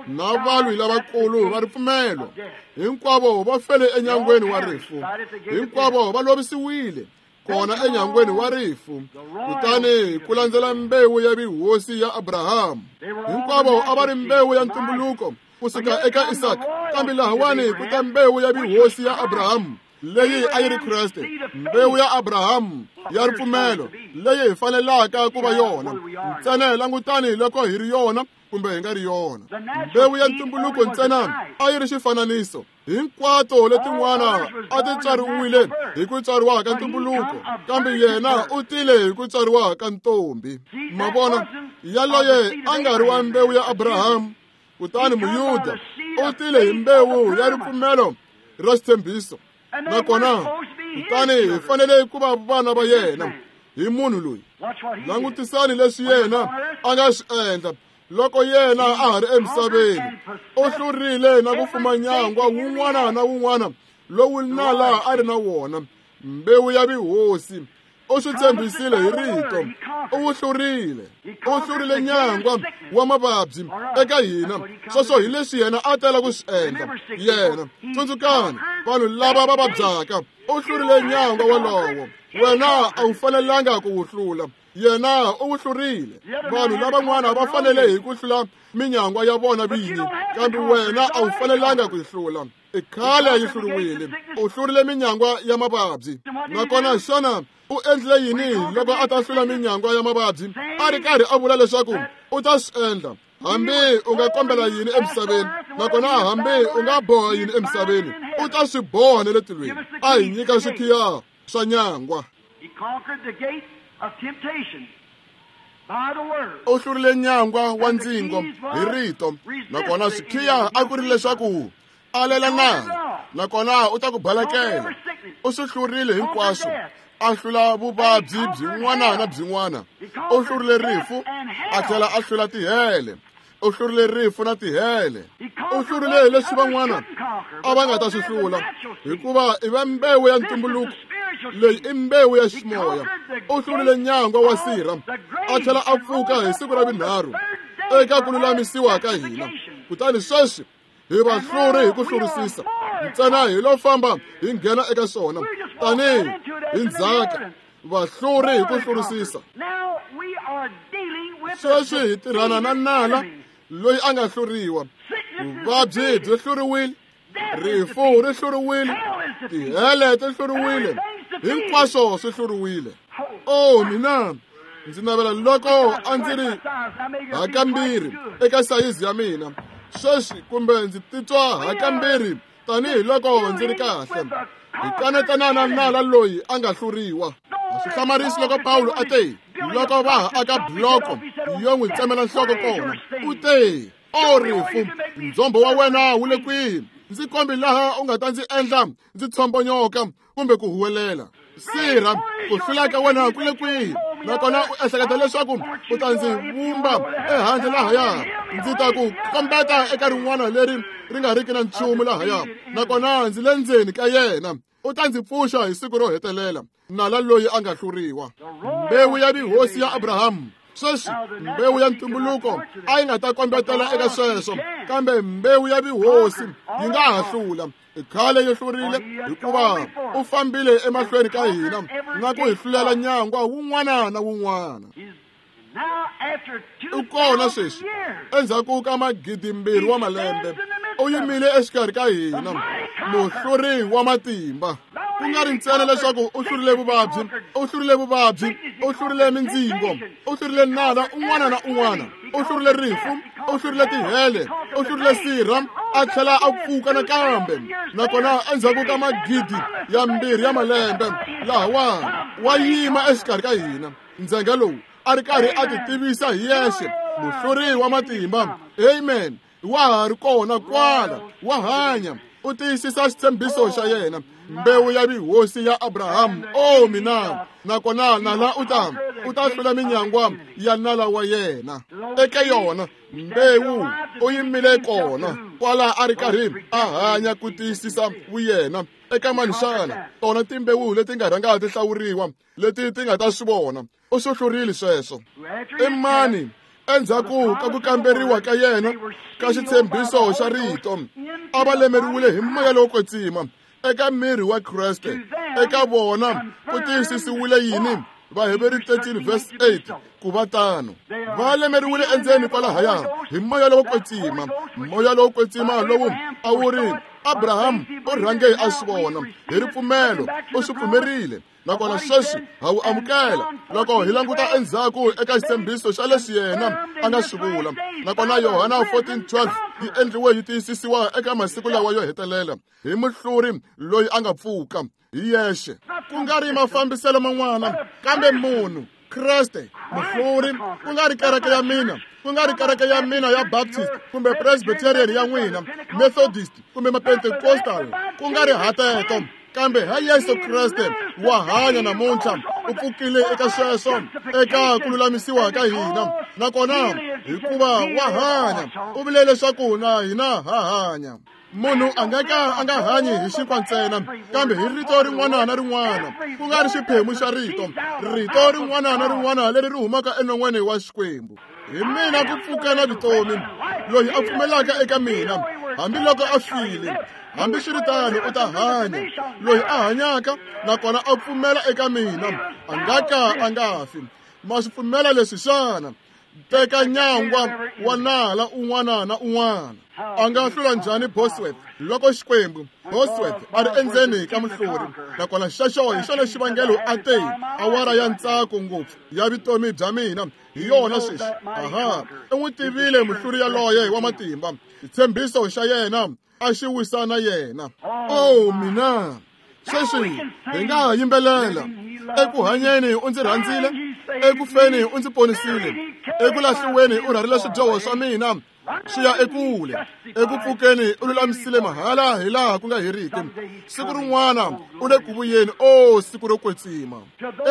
na valwi lavakulu va ripfumelo, hinkwavo va fele enyangweni wa rifu, hinkwavo va lovisiwile kona enyangweni wa rifu. Kutani ku landzela mbewu ya vihosi ya Abrahamu, hinkwavo a va ri mbewu ya ntumbuluko kusuka eka Isaka, kambe lahawani ku ta mbewu ya vihosi ya Abrahamu leyi a yi ri Kreste, mbewu ya Abrahamu ya ripfumelo leyi hi fanelaka ku va yona. Ntsena langutani loko hi ri yona kumbe hi nga ri yona. Mbewu ya ntumbuluko ntsena a yi ri xifananiso. Hinkwato letin'wana a ti tswariwile hi ku tswariwa ka ntumbuluko, kambe yena u tile hi ku tswariwa ka ntombi. Ma vona, yaloye a nga ri wa mbewu ya Abrahamu, kutani Muyuda u tile hi mbewu ya ripfumelo ra xitshembiso. Nakona kutani hi fanele ku va vana va yena hi munhu loyi. Langutisani leswi yena a nga swi endla loko yena a ha ri emisaveni. U hlurile na ku fuma nyangwa wun'wana na wun'wana lowu nala a ri na wona, mbewu ya vihosi. U swi tshembisile hi rito, u wu hlurile. U hlurile nyangwa wa mavabyi eka hina. Sweswo hi leswi yena a tela ku swi endla. Yena, tsundzukani, vanhu lava va vabyaka, u hlurile nyangwa wolowo. Wena a wu fanelanga ku wu hlula. Yena u wu hlurile. Vanhu lavan'wana va fanele hi ku hlula minyangwa ya vona vinyi, kambe wena a wu fanelanga ku yi hlula. I khale yi hluriwile. U hlurile minyangwa ya mavabyi. Nakona xana u endlile yini loko a ta hlula minyangwa ya mavabyi? A ri karhi a vula leswaku u ta swi endla. Hambi u nga kombela yini emisaveni, nakona hambi u nga boha yini emisaveni, u ta swi boha na le tilweni. A hi nyika swikhiya swa nyangwa. U hlurile nyangwa wa ndzingo hi rito, nakona swikhiya a ku ri leswaku alela nala, nakona u ta ku balekela. U swi hlurile hinkwaswo. A hlula vuvabyi byin'wana na byin'wana. U hlurile rifu, a tlhela a hlula tihele. U hlurile rifu na tihele. U hlurile leswi van'wana a va nga ta swi hlula, hikuva i va mbewu ya ntumbuluko. Leyi i mbewu ya ximoya. U hlurile nyangwa wa sirha, a tlhela a pfuka hi siku ra vunharhu eka ku lulamisiwa ka hina. Kutani sweswi hi vahluri hi ku hlurisisa. Ntsena hi lo famba hi nghena eka swona tanihi hi ndzhaka. Vahluri hi ku hlurisisa. Sweswi hi tirhana na nala loyi a nga hluriwa. Vuvabyi byi hluriwile, rifu ri hluriwile, tihele ti hluriwile, hinkwaswo swi hluriwile. Oh mina ndzi navela loko a ndzi ri hakambirhi eka sayizi ya mina sweswi, kumbe ndzi titwa hakambirhi tanihiloko ndzi ri kahle. Hi kanetana na nala loyi a nga hluriwa. A swi hlamarisi loko Pawulo a te loko va ha aka buloko yo n'wi tsemela nhloko kona, u te: O rifu, ndzhombo wa wena wu le kwihi? Ndzi kombi laha u nga ta ndzi endla ndzi tshombonyoka kumbe ku huwelela. Sirha, ku hlula ka wena ku le kwihi? Nakona u ehleketa leswaku u ta ndzi vumba ehandle lahaya, ndzi ta ku kombeta eka rin'wana leri ri nga riki na nchumu lahaya, nakona ndzi le ndzeni ka yena. U ta ndzi pfuxa hi siku ro hetelela. Nala loyi a nga hluriwa. Mbewu ya vihosi ya Abrahamu. Sweswi mbewu ya ntumbuluko a yi nga ta kombetela eka sweswo, kambe mbewu ya vihosi yi nga ha hlula. I khale yi hlurile, hikuva u fambile emahlweni ka hina na ku hi hlulela nyangwa wun'wana na wun'wana. U kona sweswi endzhaku ka magidimbirhi wa malembe, u yimile exikarhi ka hina, muhluri wa matimba. Ku nga ri ntsena leswaku u hlurile vuvabyi, u hlurile vuvabyi, u hlurile mindzingo, u hlurile nala un'wana na un'wana, u hlurile rifu, u hlurile tihele, u hlurile sirha, a tlhela a pfuka nakambe. Nakona endzhaku ka magidi ya mbirhi ya malembe, lahawa wa yima exikarhi ka hina. Ndzhenga lowu a ri karhi a ti tivisa hi yexe, muhluri wa matimba. Amen. Wa ha ri kona kwala, wa hanya, u tiyisisa xitshembiso xa yena. Mbewu ya vihosi ya Abrahamu. Oh mina, nakona nala u ta u ta hlula minyangwa ya nala wa yena. Eka yona mbewu u yimile kona kwala a ri karhi a hanya ku tiyisisa vuyena eka mani xana tona timbewu leti nga rhanga ti hlawuriwa leti ti nga ta swi vona. U swi hlurile sweswo. I mani endzhaku ka ku kamberiwa ka yena ka xitshembiso xa rito, a va lemeriwile hi moya lowo kwetsima eka miri wa Kreste. Eka vona ku tiyisisiwile yini? Vaheberi thirteen verse eight, ku va tano. Va lemeriwile endzeni kwalahaya hi moya lowo kwetsima. Moya lowo kwetsima lowu a wu ri Abraham u rhange a swi vona hi ripfumelo, u swi pfumerile. Nakona sweswi ha wu amukela loko hi languta endzhaku eka xitshembiso xa leswi yena a nga swi vula. Nakona Yohana fourteen twelve yi endliwe yi tiyisisiwa eka masiku lawa yo hetelela hi muhluri loyi a nga pfuka hi yexe, ku nga ri mafambiselo man'wana, kambe munhu Kreste muhluri. Ku nga ri kereke ya mina, ku nga ri kereke ya mina ya Baptist kumbe Presbyterian ya n'wina, Methodist kumbe Mapentecostal, ku nga ri hateto, kambe ha Yesu Kreste wa hanya namuntlha. U pfukile eka sweswo, eka ku lulamisiwa ka hina. Nakona hikuva wa hanya, u vule leswaku na hina ha hanya. Munhu a nga ka a nga hanyi hi xinkwa ntsena, kambe hi rito rin'wana na rin'wana, ku nga ri xiphemu xa rito, rito rin'wana na rin'wana leri ri humaka enon'weni wa Xikwembu. Hi mina ku pfuka na vutomi. Loyi a pfumelaka eka mina, hambiloko a file, hambiswiritano u ta hanya. Loyi a hanyaka nakona a pfumela eka mina, a nga ka a nga fi. Ma swi pfumela leswi xana? Teka nyangwa wa nala un'wana na un'wana. A nga hlula njhani Bosworth loko Xikwembu Bosworth a ri endzeni ka muhluri? Nakona xexo hi xona xivangelo a te awara ya ntsako ngopfu ya vutomi bya mina hi yona sweswi. Aha, u n'wi tivile muhluri yaloye wa matimba. Xitshembiso xa yena a xi wisa na yena. Oh mina, sweswi hi nga yimbelela. Eku hanyeni u ndzi rhandzile, eku feni u ndzi ponisile, eku lahliweni u rharile swidyoho swa mina swi ya ekule, eku pfukeni u lulamisile mahala hi laha ku nga heriki. Siku rin'wana u le ku vuyeni, o siku ro kwetsima.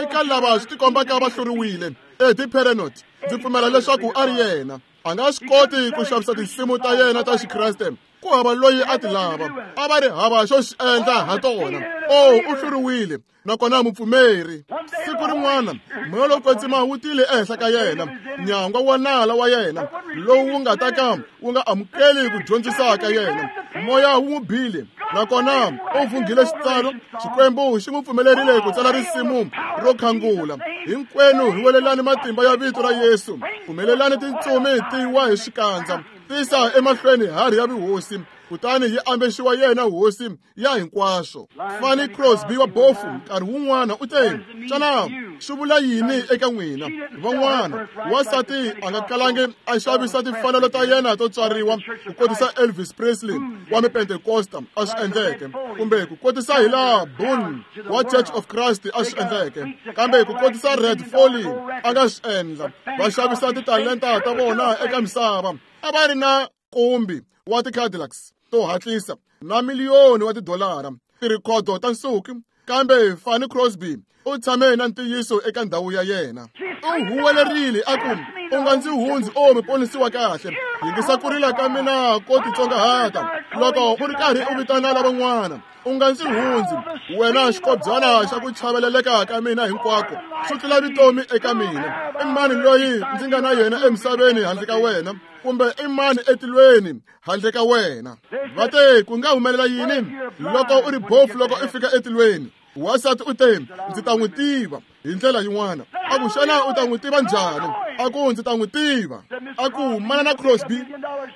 Eka lava swi tikombaka va hluriwile, Eddie Perronet, ndzi pfumela leswaku a ri yena. A nga swi koti ku xavisa tinsimu ta yena ta Xikreste, ku hava loyi a ti lava, a va ri hava xo xi endla ha tona. O u hluriwile, nakona mupfumeri. Siku rin'wana moya lowo kwetsima wu tile ehenhla ka yena, nyangwa wa nala wa yena lowu wu nga ta ka wu nga amukeli ku dyondzisa ka yena. Moya wu n'wi bile, nakona u vunghile xitsalo. Xikwembu xi n'wi pfumelerile ku tsala risimu ro khangula. Hinkwenu hi welelani matimba ya vito ra Yesu, pfumelelani tintsumi ti wa hi xikandza, tisa emahlweni harhi ya vuhosi, kutani yi ambexiwa yena hosi ya hinkwaswo. Fanny Crosby wa bofu nkarhi wun'wana u te, xana swi vula yini eka n'wina van'wana? Wansati a nga kalangi a xavisa timfanelo ta yena to tswariwa ku kotisa Elvis Presley wa Mipentekosta a swi endleke, kumbe ku kotisa hi laha Boone wa Church of Christ a swi endleke, kambe ku kotisa Red Foley a nga swi endla. Va xavisa titalenta ta vona eka misava. A va ri na nkumbi wa ti-Cadillacs to hatlisa na miliyoni wa tidolara, tirhikhodo ta nsuku, kambe Fanny Crosby u tshame na ntiyiso eka ndhawu ya yena. U huwelerile a ku, u nga ndzi hundzi, o muponisiwa kahle, yingisa ku rila ka mina ko titsongahata loko u ri karhi u vitana lavan'wana. U nga ndzi hundzi, wena xikobyana xa ku chaveleleka ka mina hinkwako, swi tlula vutomi eka mina. I mani loyi ndzi nga na yena emisaveni handle ka wena, kumbe i mani etilweni handle ka wena? Va te, ku nga humelela yini loko u ri bofu loko u fika etilweni? Wansati u te, ndzi ta n'wi tiva hi ndlela yin'wana. A ku, xana u ta n'wi tiva njhani? A ku, ndzi ta n'wi tiva. A ku, manana Crosby,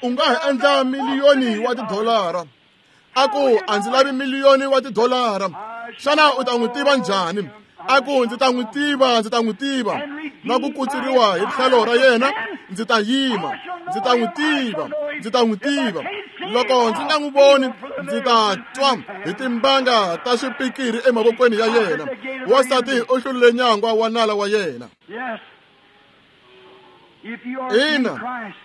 u nga ha endla miliyoni wa tidolara. A ku, a ndzi lavi miliyoni wa tidolara. Xana u ta n'wi tiva njhani? A ku, ndzi ta n'wi tiva, ndzi ta n'wi tiva. Na ku kutsuriwa hi tlhelo ra yena, ndzi ta yima. Ndzi ta n'wi tiva, ndzi ta n'wi tiva. Loko ndzi nga n'wi voni, ndzi ta twa hi timbanga ta swipikiri emavokweni ya yena. Wansati u hlurile nyangwa wa nala wa yena. Ina,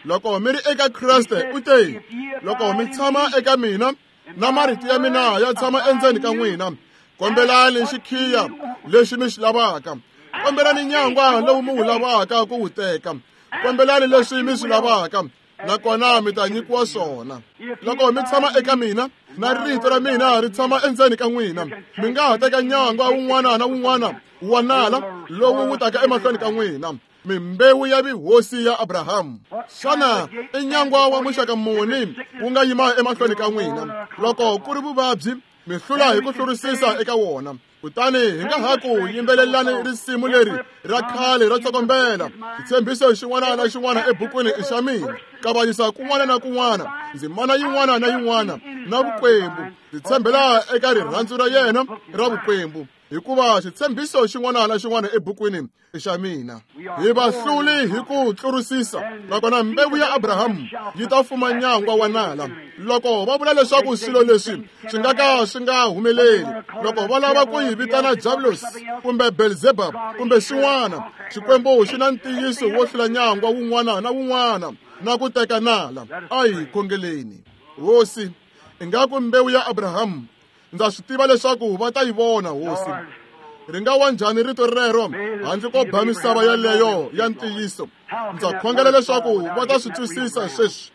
loko mi ri eka Kreste, u te, loko mi tshama eka mina na marito ya mina ya tshama endzeni ka n'wina, kombelani xikhiya lexi mi xi lavaka, kombelani nyangwa lowu mi wu lavaka ku wu teka, kombelani leswi mi swi lavaka, nakona mi ta nyikiwa swona. Loko mi tshama eka mina na rito ra mina ri tshama endzeni ka n'wina, mi nga ha teka nyangwa wun'wana na wun'wana wa nala lowu wu taka emahlweni ka n'wina. Mimbewu ya vuhosi ya Abrahamu. Xana i nyangwa wa muxaka muni wu nga yima emahlweni ka n'wina? Loko ku ri vuvabyi, mi hlula hi ku hlurisisa eka wona. Kutani hi nga ha ku yimbelelani risimu leri ra khale ra tsokombela. Xitshembiso xin'wana na xin'wana ebukwini i xa mina. Kavanyisa kun'wana na kun'wana, ndzimana yin'wana na yin'wana na vukwembu. Ndzi tshembela eka rirhandzu ra yena ra vukwembu, hikuva xitshembiso xin'wana na xin'wana ebukwini i xa mina. Hi va hluli hi ku tlurisisa, nakona mbewu ya Abrahamu yi ta fuma nyangwa wa nala. Loko va vula leswaku swilo leswi swi nga ka swi nga humeleli, loko va lava ku yi vitana Diablos kumbe Beelzebub kumbe xin'wana, Xikwembu xi na ntiyiso wo hlula nyangwa wun'wana na wun'wana na ku teka nala. A hi khongeleni. Hosi, ingaku mbewu ya Abrahamu, ndza swi tiva leswaku va ta yi vona, Hosi. Ri nga wa njhani rito rero handle ko ba misava yaleyo ya ntiyiso? Ndza khongela leswaku va ta swi twisisa sweswi,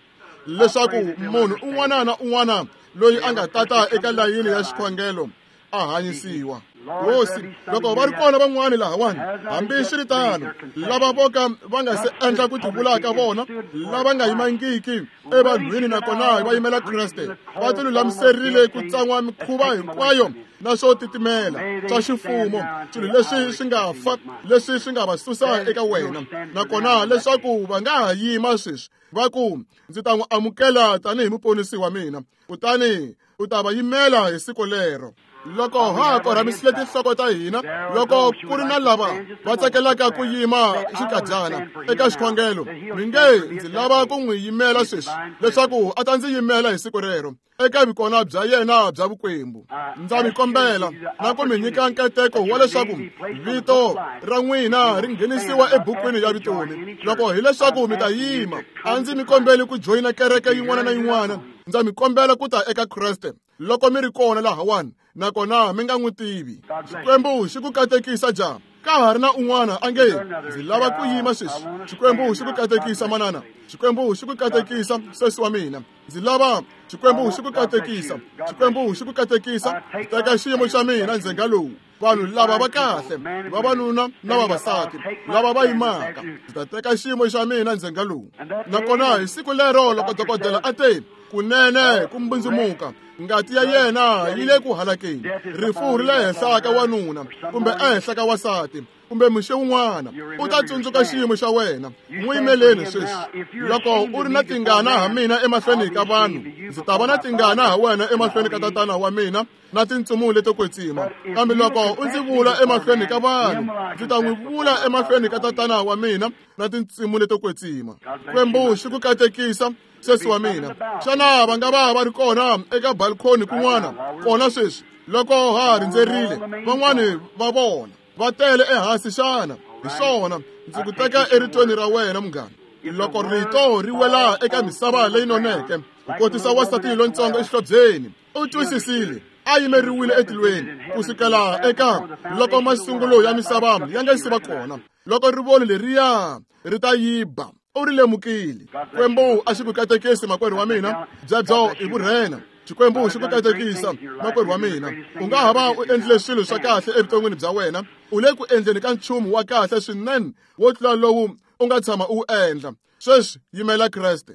leswaku munhu un'wana na un'wana loyi a nga tata eka layini ya xikhongelo a hanyisiwa. Hosi, loko va ri kona van'wani lahawani, hambi swi ri tano, lava vo ka va nga se endla ku tivula ka vona, lava nga yimangiki evanhwini nakona va yimela Kreste, va tilulamiserile ku tsan'wa mikhuva hinkwayo na swo titimela swa ximfumo, swilo leswi swi nga fa, leswi swi nga va susa eka wena, nakona leswaku va nga ha yima sweswi va ku, ndzi ta n'wi amukela tanihi muponisi wa mina, kutani u ta va yimela hi siku lero. Loko ha korhamisile tinhloko ta hina, loko ku ri na lava va tsakelaka ku yima xikadyana eka xikhongelo, mi nge ndzi lava ku n'wi yimela sweswi leswaku a ta ndzi yimela hi siku rero eka vukona bya yena bya vukwembu. Ndza mi kombela na ku mi nyika nkateko wa leswaku vito ra n'wina ri nghenisiwa ebukwini ya vutomi. Loko hileswaku mi ta yima, a ndzi mi kombeli ku joyina kereke yin'wana na yin'wana, ndza mi kombela ku ta eka Kreste loko mi ri kona lahawani nakona mi nga n'wi tivi. Xikwembu xi ku katekisa ja. Ka ha ri na un'wana a nge ndzi lava ku yima sweswi. Xikwembu xi ku katekisa manana. Xikwembu xi ku katekisa sesi wa mina. Ndzi lava Xikwembu xi ku katekisa. Xikwembu xi ku katekisa. Teka xiyimo xa mina ndzhenga lowu. Vanhu lava va kahle, vavanuna na vavasati lava va yimaka, ndzi ta teka xiyimo xa mina ndzhenga lowu. Nakona hi siku lero loko dokodela a te kunene ku mbundzumuka, ngati ya yena yi le ku halakeni, rifu ri le henhla ka wanuna kumbe ehenhla ka wasati kumbe muxe wun'wana, u ta tsundzuka xiyimo xa wena. N'wi yimeleni sweswi. Loko u ri na tingana ha mina emahlweni ka vanhu, ndzi ta va na tingana ha wena emahlweni ka tatana wa mina na tintsumi leto kwetsima. Kambe loko u ndzi vula emahlweni ka vanhu, ndzi ta n'wi vula emahlweni ka tatana wa mina na tintsumi leto kwetsima. Xikwembu xi ku katekisa sesi wa mina. Xana va nga va va ri kona eka balcony kun'wana kona sweswi loko ha rindzerile van'wani va vona va tele ehansi xana? Hi swona, ndzi ku teka eritweni ra wena munghana. Loko rito ri wela eka misava leyi noneke, ku kotisa wansati lontsongo exihlobyeni, u twisisile, a yimeriwile etilweni ku sukela eka loko masungulo ya misava ya nga si va kona. Loko rivoni leriya ri ta yiba, u ri lemukile. Xikwembu a xi ku katekisi makwerhu wa mina, byebyo i vurhena. Xikwembu xi ku katekisa makwerhu wa mina. U nga ha va u endlile swilo swa kahle evuton'wini bya wena, u le ku endleni ka nchumu wa kahle swinene wo tlula lowu u nga tshama u wu endla. Sweswi yimela Kreste.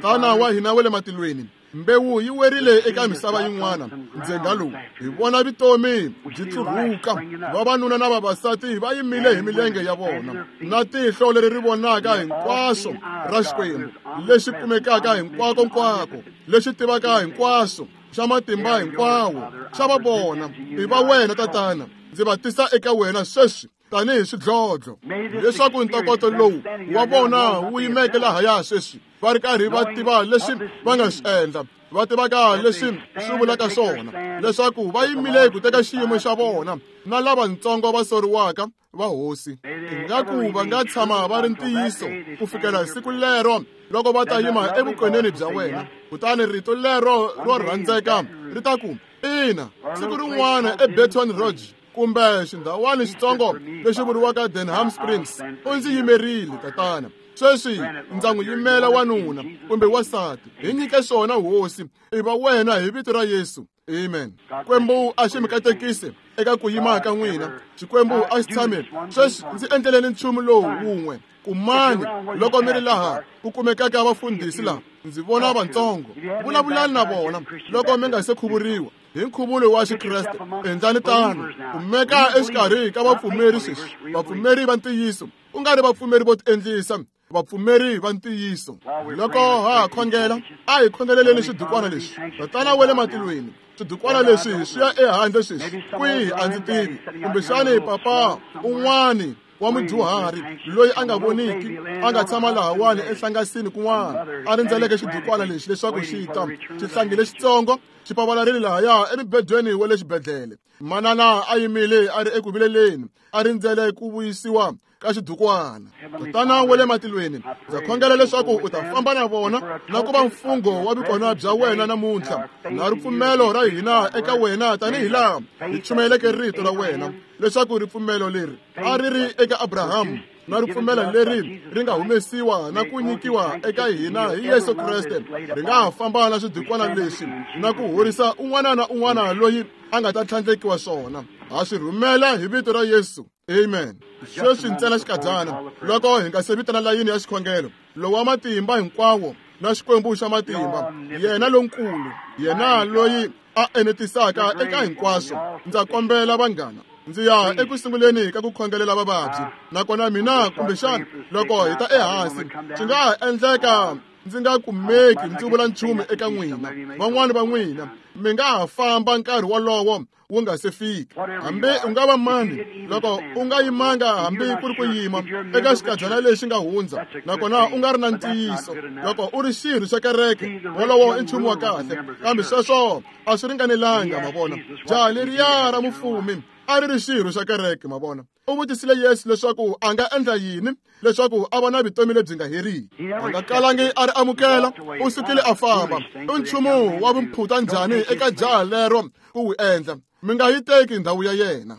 Tatana wa hina wa le matilweni, mbewu yi werile eka misava yin'wana ndzhenga lowu. Hi vona vutomi byi tlurhuka, vavanuna na vavasati va yimile hi milenge ya vona, na tihlo leri ri vonaka hinkwaswo ra Xikwembu lexi kumekaka hinkwako-nkwako, lexi tivaka hinkwaswo, xa matimba hinkwawo, xa va vona. I va wena tatana, ndzi va tisa eka wena sweswi tanihi swidlodlo, leswaku ntokoto lowu wa vona wu yimeke lahaya sweswi, va ri karhi va tiva leswi va nga swi endla, va tivaka leswi swi vulaka swona, leswaku va yimile ku teka xiyimo xa vona na lavatsongo va soriwaka va hosi. Ingaku va nga tshama va ri ntiyiso ku fikela siku lero loko va ta yima evukoneni bya wena, kutani rito lero ro rhandzeka ri ta ku, ina, siku rin'wana eBaton Rouge kumbe xindhawani xitsongo lexi vuriwaka Denham Springs, u ndzi yimerile tatana. Sweswi ndza n'wi yimela wanuna kumbe wasati. Hi nyike swona hosi, i va wena hi vito ra Yesu. Amen. Xikwembu a xi mi katekise eka ku yima ka n'wina. Xikwembu a xi tshame sweswi. Ndzi endleleni nchumu lowu wun'we kumani loko mi ri laha ku kumekaka vafundhisi laha, ndzi vona vantsongo, vulavulani na vona loko mi nga se khuvuriwa hi nkhuvulo wa Xikreste. Endlani tano, kumeka exikarhi ka vapfumeri sweswi, vapfumeri va ntiyiso, ku nga ri vapfumeri vo tiendlisa, vapfumeri va ntiyiso. Loko ha khongela, a hi khongeleleni swidukwana leswi. Tatana wa le matilweni, swidukwana leswi swi ya ehandle sweswi kwihi a ndzi tivi, kumbexani papa un'wani wa mudyuhari loyi a nga voniki a nga tshama lahawani enhlangasini kun'wana a rindzeleke xidukwana lexi leswaku xi ta. Xihlangi lexitsongo xi pavalarile lahaya emibedweni wa le xibedhlele. Manana a yimile a ri eku vileleni, a rindzele ku vuyisiwa ka xidukwana. Tatana wa le matilweni, ndza khongela leswaku u ta famba na vona na ku va mfungho wa vukona bya wena namuntlha, na ripfumelo ra hina eka wena tanihi laha hi chumayeleke rito ra wena, leswaku ripfumelo leri a ri ri eka Abrahamu na ripfumelo leri ri nga humesiwa na ku nyikiwa eka hina hi Yesu Kreste ri nga ha famba na swidukwana leswi na ku horisa un'wana na un'wana loyi a nga ta tlhandlekiwa swona. Ha swi rhumela hi vito ra Yesu. Amen. Sweswi ntsena xikadyana loko hi nga se vitana layini ya xikhongelo, lowa matimba hinkwawo na Xikwembu xa matimba, yena lonkulu, yena loyi a enetisaka eka hinkwaswo, ndza kombela vanghana, ndzi ya eku sunguleni ka ku khongelela vavabyi. Nakona mina kumbexana loko hi ta ehansi swi nga ha endleka ndzi nga kumeki ndzi vula nchumu eka n'wina. Van'wani va n'wina mi nga ha famba nkarhi wolowo wu nga se fika. Hambi u nga va mani, loko u nga yimanga hambi ku ri ku yima eka xikadyana lexi nga hundza, nakona u nga ri na ntiyiso, loko u ri xirho xa kereke, wolowo i nchumu wa kahle, kambe sweswo a swi ringanelanga. Ma vona, jaha leriya ra mufumi a ri ri xirho xa kereke. Ma vona, u vutisile Yesu leswaku a nga endla yini leswaku a va na vutomi lebyi nga heriki. A nga kalangi a ri amukela, u sukile a famba. I nchumu wa vumphuta njhani eka jaha lero ku wu endla? Mi nga yi teki ndhawu ya yena.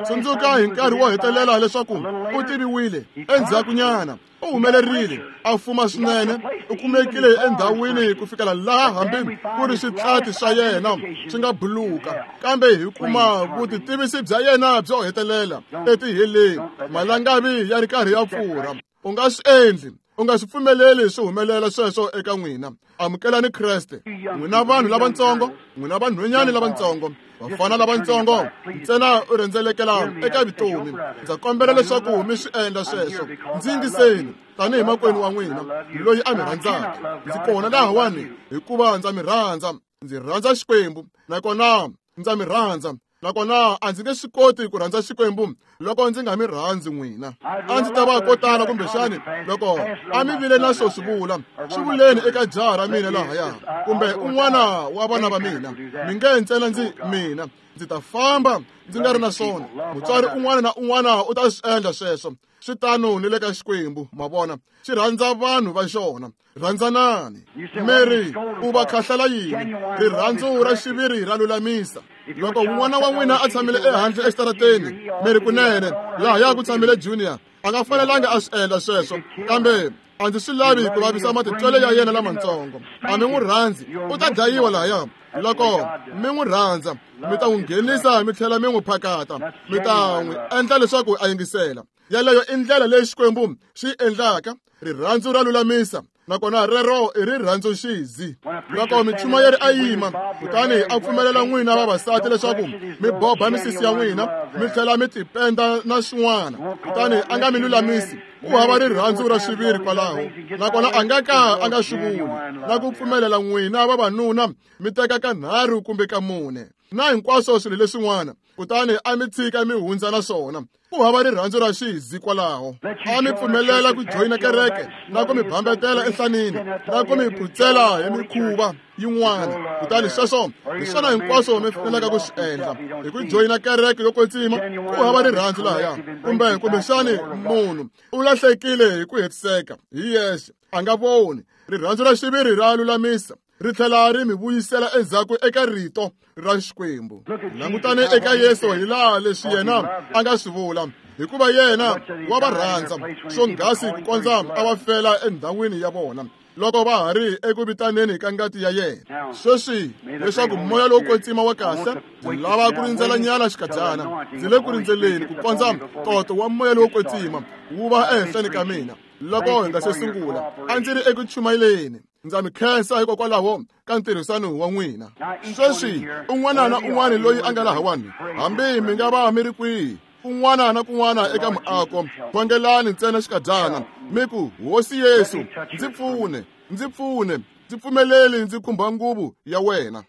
Tsundzuka hi nkarhi wo hetelela leswaku u tiviwile endzhakunyana, u humelerile a fuma swinene, u kumekile endhawini ku fikela laha hambi ku ri switlati swa yena swi nga buluka, kambe hi kuma vutitivisi bya yena byo hetelela etiheleni, malangavi ya ri karhi ya pfurha. U nga swi endli, u nga swi pfumeleli swi humelela sweswo eka n'wina. Amukelani Kreste. N'wina vanhu lavatsongo, n'wina vanhwanyana lavatsongo, vafana lavatsongo, ntsena u rhendzelekela eka vutomi. Ndza kombela leswaku mi swi endla sweswo. Ndzi yingiseni tanihi makwenu wa n'wina loyi a mi rhandzaka. Ndzi kona lahawani hikuva ndza mi rhandza. Ndzi rhandza Xikwembu, nakona ndza mi rhandza. Nakona a ndzi nge swi koti ku rhandza Xikwembu loko ndzi nga mi rhandzi n'wina. A ndzi ta va ko tala kumbexani loko a mi vile na swo swi vula, swi vuleni eka jaha ra mina lahaya, kumbe un'wana wa vana va mina. Mi nge ntsena ndzi mina ndzi ta famba ndzi nga ri na swona. Mutswari un'wana na un'wana u ta swi endla sweswo. Swi tano ni le ka Xikwembu. Ma vona, xi rhandza vanhu va xona. Rhandzanani. Mary, u va khahlela yini? Rirhandzu ra xiviri ra lulamisa. Loko un'wana wa n'wina a tshamile ehandle exitarateni, mi ri kunene lahaya ku tshamile Junior, a nga fanelanga a swi endla sweswo, kambe a ndzi swi lavi ku vavisa matitwelo ya yena lamatsongo. A mi n'wi rhandzi, u ta dlayiwa lahaya. Loko mi n'wi rhandza, mi ta n'wi nghenisa mi tlhela mi n'wi phakata, mi ta n'wi endla leswaku a yingisela. Yaleyo i ndlela leyi Xikwembu xi endlaka. Rirhandzu ra lulamisa, nakona rero i rirhandzu xizi. Loko michumayeri a yima kutani a pfumelela n'wina vavasati leswaku mi boba misisi ya n'wina mi tlhela mi tipenda na swin'wana, kutani a nga mi lulamisi, u hava rirhandzu ra xiviri kwalaho. Nakona a nga ka a nga swi vuli na ku pfumelela n'wina vavanuna mi teka kanharhu kumbe ka mune na hinkwaswo swilo leswin'wana, kutani a mi tshika mi hundza na swona. Ku hava rirhandzu ra xizi kwalaho. A mi pfumelela ku joyina kereke na ku mi bambetela enhlanini na ku mi phutsela hi mikhuva yin'wana, kutani sweswo hi swona hinkwaswo mi fanelaka ku swi endla hi ku joyina kereke yo kwetsima. Ku hava rirhandzu lahaya, kumbe kumbexani munhu u lahlekile hi ku hetiseka hi yexe, a nga voni. Rirhandzu ra xiviri ra lulamisa, ri tlhela ri mi vuyisela endzhaku eka rito ra Xikwembu. Langutani eka Yesu hi laha leswi yena a nga swi vula, hikuva yena wa va rhandza swonghasi ku kondza a va fela endhawini ya vona loko va ha ri eku vitaneni ka ngati ya yena. Sweswi leswaku moya lowo kwetsima wa kahle, ndzi lava ku rindzela nyana xikadyana. Ndzi le ku rindzeleni ku kondza ntoto wa moya lowo kwetsima wu va ehenhleni ka mina. Loko hi nga se sungula, a ndzi ri eku chumayeleni. Ndza mi khensa hikokwalaho ka ntirhisano wa n'wina. Sweswi un'wana na un'wana loyi a nga lahawani, hambi mi nga va mi ri kwihi, kun'wana na kun'wana eka muako, khongelani ntsena xikadyana mi ku, Hosi Yesu, ndzi pfune, ndzi pfune, ndzi pfumeleli ndzi khumba nguvu ya wena.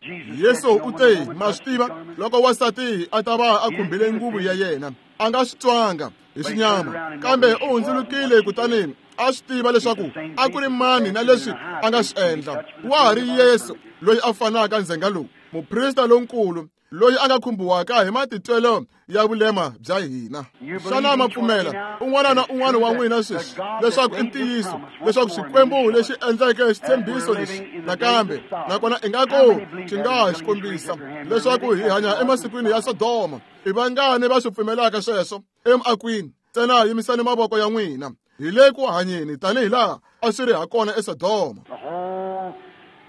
Yesu u te, ma swi tiva, loko wansati a ta va a khumbile nguvu ya yena, a nga swi twanga hi xinyama, kambe u hundzulukile kutani a swi tiva leswaku a ku ri mani na leswi a nga swi endla. Wa ha ri Yesu loyi a fanaka ndzhenga lowu, muprista lonkulu loyi a nga khumbiwaka hi matitwelo ya vulema bya hina. Xana ma pfumela un'wana na un'wana wa n'wina sweswi leswaku i ntiyiso leswaku Xikwembu lexi endleke xitshembiso lexi nakambe, nakona ingaku xi nga ha xi kombisa leswaku hi hanya emasikwini ya Sodoma? I vangani va swi pfumelaka sweswo emakwini? Ntsena yimisani mavoko ya n'wina. Hi le ku hanyeni tanihi laha a swi ri hakona eSodoma.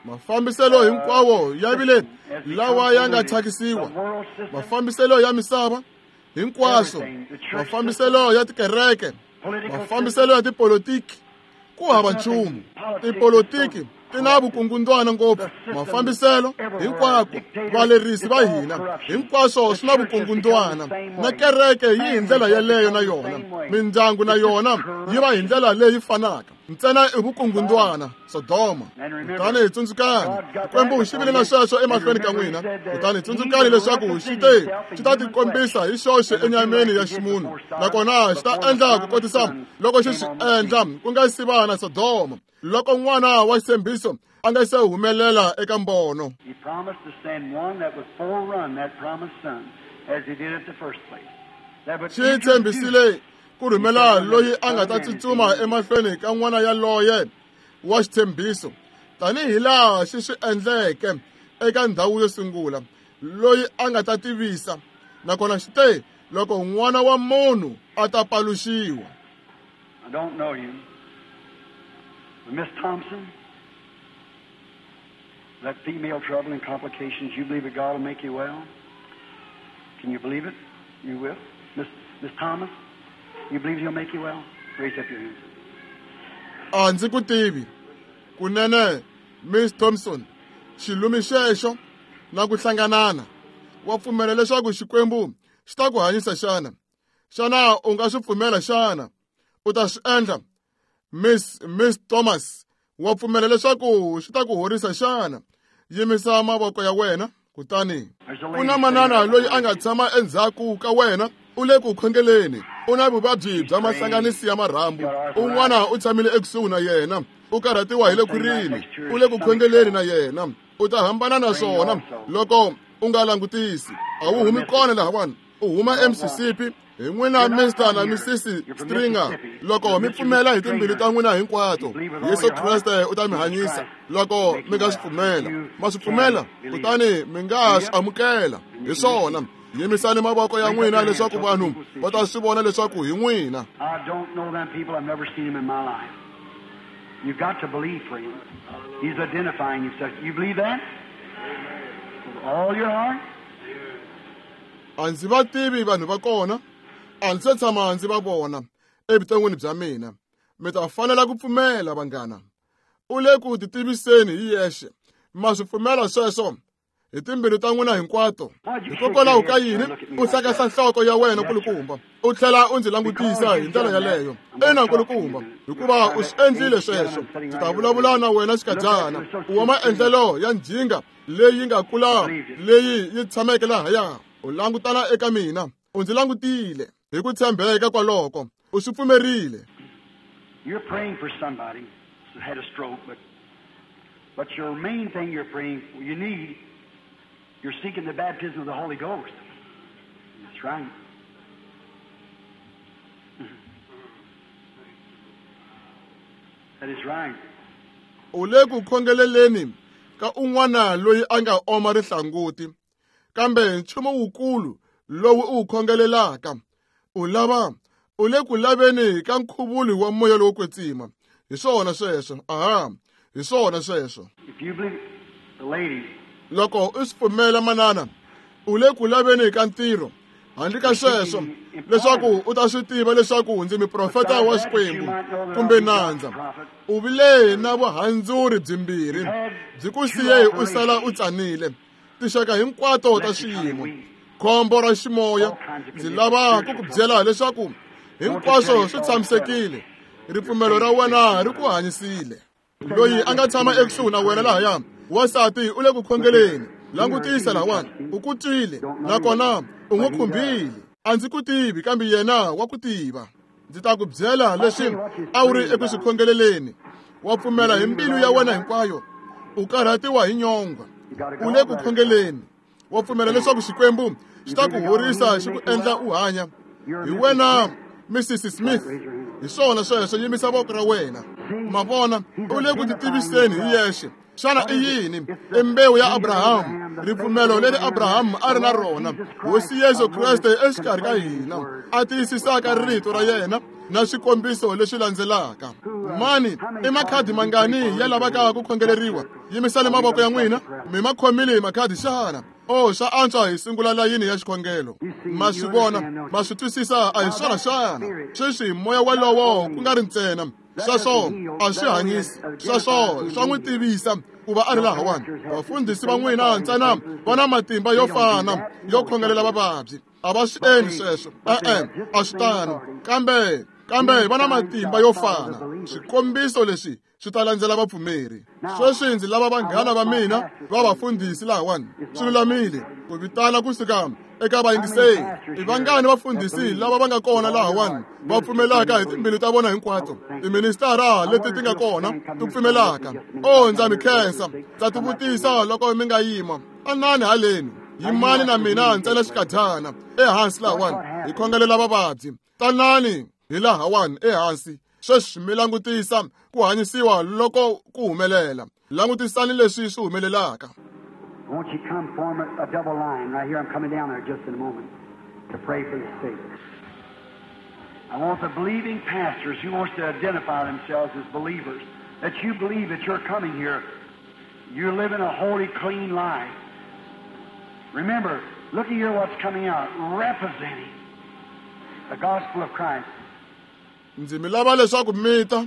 Mafambiselo hinkwawo ya vile lawa ya nga thyakisiwa, mafambiselo ya misava, Hinkwaswo mafambiselo ya tikereke, mafambiselo ya tipolotiki, ku hava nchumu. Tipolotiki ti na vukungundwana ngopfu, mafambiselo hinkwako, valerisi va hina, hinkwaswo swi na vukungundwana. Na kereke yi hi ndlela yeleyo na yona, mindyangu na yona yi va hi ndlela leyi fanaka. Ntsena i vukungundwana, Sodoma. Kutani hi tsundzukani, Xikwembu xi vile na sweswo emahlweni ka n'wina. Kutani tsundzukani leswaku xi te xi ta tikombisa hi xoxe enyameni ya ximunhu, nakona xi ta endla ku kotisa loko xi swi endla ku nga si va na Sodoma, loko n'wana wa xitshembiso a nga se humelela eka mbono. He promised to send one that would forerun that promised son, as he did at the first place. That would Xi tshembisile ku rhumela loyi a nga ta tsutsuma emahlweni ka n'wana yaloye wa xitshembiso, tanihi laha xi swi endleke eka ndhawu yo sungula, loyi a nga ta tivisa. Nakona xi te loko n'wana wa munhu a ta paluxiwa. I don't know you. But Miss Thompson, that female trouble and complications, you believe that God will make you well? Can you believe it? You will. Miss Miss Thomas, you believe He'll make you well? Raise up your hands. A ndzi ku tivi. Kunene, Miss Thompson, xilumi xexo na ku hlanganana, wa pfumela leswaku Xikwembu xi ta ku hanyisa xana? Xana u nga swi pfumela xana? U ta swi endla? Miss Miss Thomas, wa pfumela leswaku xi ta ku horisa xana? Yimisa mavoko ya wena. Kutani ku na manana loyi a nga tshama endzhaku ka wena, u le ku khongeleni, u na vuvabyi bya mahlanganisi ya marhambu. Un'wana u tshamile ekusuhi na yena, u karhatiwa hi le khwirini, u le ku khongeleni na yena. U ta hambana na swona loko u nga langutisi. A wu humi kona lahawani, u huma eMississippi. Hi n'wina Mister na Missus Stringer, loko mi pfumela hi timbilu ta n'wina hinkwato, Yesu Kreste u ta mi hanyisa. Loko mi nga swi pfumela, ma swi pfumela, kutani mi nga swi amukela. Hi swona, yimisani mavoko ya n'wina leswaku vanhu va ta swi vona leswaku hi n'wina. I don't know them people. I've never seen them in my life. You've got to believe for him. He's identifying himself. You believe that? With all your heart? A ndzi va tivi vanhu va kona, a ndzi se tshama ndzi va vona evuton'wini bya mina. Mi ta fanela ku pfumela, vanghana. U le ku titiviseni hi yexe. Ma swi pfumela sweswo hi timbilu ta n'wina hinkwato? Hikokwalaho ka yini u hlakahla nhloko ya wena nkulukumba, u tlhela u ndzi langutisa hi ndlela yaleyo? Ina nkulukumba, hikuva u swi endlile sweswo. Ndzi ta vulavula na wena xikadyana. U wa maendlelo ya njhinga leyi nga kula, leyi yi tshameke lahaya. U langutana eka mina, u ndzi langutile hi ku tshembeka kwaloko, u swi pfumerile. You're praying for somebody who had a stroke, but but your main thing you're praying, you need, you're seeking the baptism of the Holy Ghost. That's right. That is right. U le ku khongeleleni ka un'wana loyi a nga oma rihlanguti, kambe nchumu wukulu lowu u wu khongelelaka, u lava, u le ku laveni ka nkhuvulo wa moya lowo kwetsima. Hi swona sweswo. Aha, hi swona sweswo. If you believe the lady, Loko u swi pfumela manana, u le ku laveni ka ntirho. Handle ka sweswo, leswaku u ta swi tiva leswaku ndzi muprofeta wa Xikwembu kumbe nandza. U vile na vuhandzuri byimbirhi, byi ku siye u sala u tsanile. Tinxaka hinkwato ta swiyimo, khombo ra ximoya. Ndzi lava ku ku byela leswaku hinkwaswo swi tshamisekile. Ripfumelo ra wena ri ku hanyisile. Loyi a nga tshama ekusuhi na wena lahaya, wansati u le ku khongeleni. Langutisa lahawani, u ku twile nakona u n'wi khumbile. A ndzi ku tivi, kambe yena wa ku tiva. Ndzi ta ku byela leswi a wu ri eku swi khongeleleni. Wa pfumela hi mbilu ya wena hinkwayo. U karhatiwa hi nyongwa, u le ku khongeleni. Wa pfumela leswaku Xikwembu xi ta ku horisa, xi ku endla u hanya. Hi wena Missus Smith, hi swona sweswo. Yimisa voko ra wena. Ma vona, u le ku titiviseni hi yexe. Xana i yini? I mbewu ya Abrahamu, ripfumelo leri Abrahamu a ri na rona. Hosi Yesu Kreste exikarhi ka hina, a tiyisisaka rito ra yena na swikombiso leswi landzelaka. Mani, i makhadi mangani ya lavaka ku khongeleriwa? Yimisani mavoko ya n'wina. Mi ma khomile makhadi xana? O swa antswa hi sungula layini ya xikhongelo. Ma swi vona, ma swi twisisa, a hi swona xana? Sweswi moya walowo ku nga ri ntsena sweswo a swi hanyisi, sweswo swa n'wi tivisa ku va a ri lahawani. Vafundhisi va n'wina ntsena va na matimba yo fana yo khongelela vavabyi. A va swi endli sweswo, e-e, a swi tano, kambe kambe va na matimba yo fana. Swikombiso leswi swi ta landzela vapfumeri. Sweswi ndzi lava vanghana va mina va vafundhisi lahawani. Swi lulamile ku vitana kusuka eka vayingiseri. I vangani vafundhisi lava va nga kona lahawani va pfumelaka hi timbilu ta vona hinkwato? Tiministara leti ti nga kona ti pfumelaka. O ndza mi khensa. Ndza tivutisa loko mi nga yima. Anani haleni. Yimani na mina ntsena xikadyana ehansi lahawani hi khongelela vavabyi. Tanani hi lahawani ehansi. Sweswi mi langutisa ku hanyisiwa loko ku humelela. Langutisani leswi swi humelelaka. Won't you come form a, a double line right here? I'm coming down there just in a moment to pray for the sick. I want the believing pastors who wants to identify themselves as believers, that you believe that you're coming here, you're living a holy, clean life. Remember, look here what's coming out, representing the gospel of Christ. Ndzi mi lava leswaku mi ta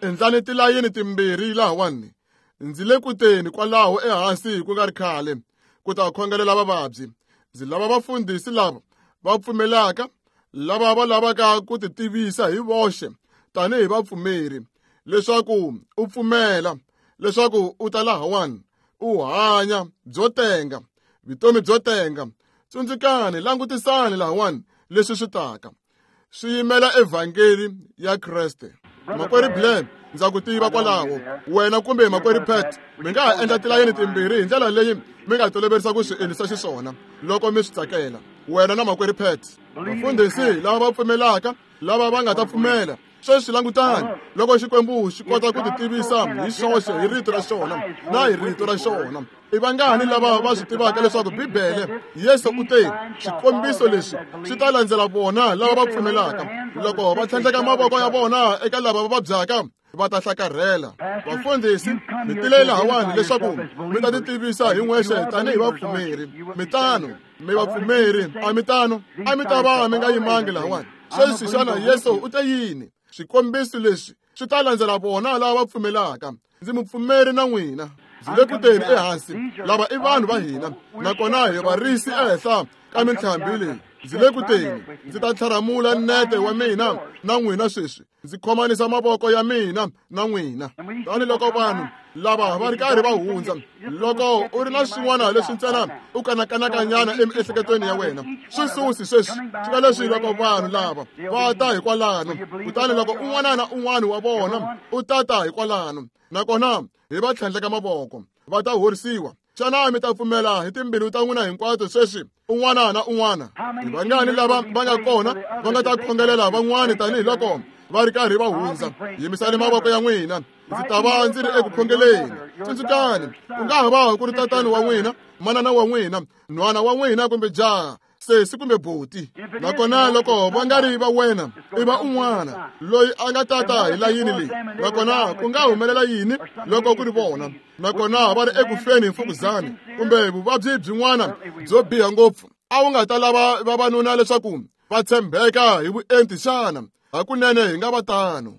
endlani tilayini timbirhi lahawani. Ndzi le ku teni kwalaho ehansi ku nga ri khale ku ta khongelela vavabyi. Ndzi lava vafundhisi lava va pfumelaka, lava va lavaka ku ti tivisa hi voxe tanihi vapfumeri, leswaku u pfumela leswaku u ta lahawani u hanya byo tenga, vutomi byo tenga. Tsundzukani, langutisani lahawani leswi swi taka swi yimela evhangeli ya Kreste. Makwerhu Blair, ndza ku tiva kwalaho wena kumbe makwerhu Pat, mi nga ha endla tilayini timbirhi hi ndlela leyi mi nga toloverisa ku swi endlisa xiswona loko mi swi tsakela, wena na makwerhu Pat. Vafundhisi lava va pfumelaka, lava va nga ta pfumela. Sweswi langutani loko Xikwembu xi kota ku ti tivisa hi xoxe hi rito ra xona na hi rito ra xona. I vangani lava va swi tivaka leswaku Bibele Yesu u te swikombiso leswi swi ta landzela vona lava va pfumelaka, loko va tlhandleka mavoko ya vona eka lava va vabyaka va ta hlakarhela. Vafundhisi, mi tile lahawani leswaku mi ta ti tivisa hi n'wexe tanihi vapfumeri. Mi tano, mi vapfumeri, a mi tano, a mi ta va mi nga yimangi lahawani. Sweswi xana Yesu u te yini? Swikombiso leswi swi ta landzela vona lava va pfumelaka. Ndzi mupfumeri na n'wina. Ndzi le ku teni ehansi. Lava i vanhu va hina, nakona hi varisi ehenhla ka mintlhambi leyi. Ndzi le ku teni. Ndzi ta tlharamula nete wa mina na n'wina sweswi. Ndzi khomanisa mavoko ya mina na n'wina. Tani loko vanhu lava va ri karhi va hundza, loko u ri na swin'wana leswi ntsena u kanakanakanyana emiehleketweni ya wena, swi susi sweswi. Swi nga leswi loko vanhu lava va ta hikwalano, kutani loko un'wana na un'wana wa vona u tata hikwalano, nakona hi va tlhandleka mavoko, va ta horisiwa. Xana mi ta pfumela hi timbilu ta n'wina hinkwato sweswi, un'wana na un'wana? Hi vangani lava va nga kona va nga ta khongelela van'wani tanihiloko va ri karhi va hundza? Yimisani mavoko ya n'wina. Ndzi ta va ndzi ri eku khongeleni. Tsundzukani, ku nga ha va ku ri tatani wa n'wina, manana wa n'wina, nhwana wa n'wina kumbe jaha, sesi kumbe buti. Nakona loko va nga ri va wena, i va un'wana loyi a nga tata hi layini leyi. Nakona ku nga humelela yini loko ku ri vona? Nakona va ri eku feni hi mfukuzana kumbe vuvabyi byin'wana byo biha ngopfu. A wu nga ta lava vavanuna leswaku va tshembeka hi vuenti xana? Hakunene hi nga va tano.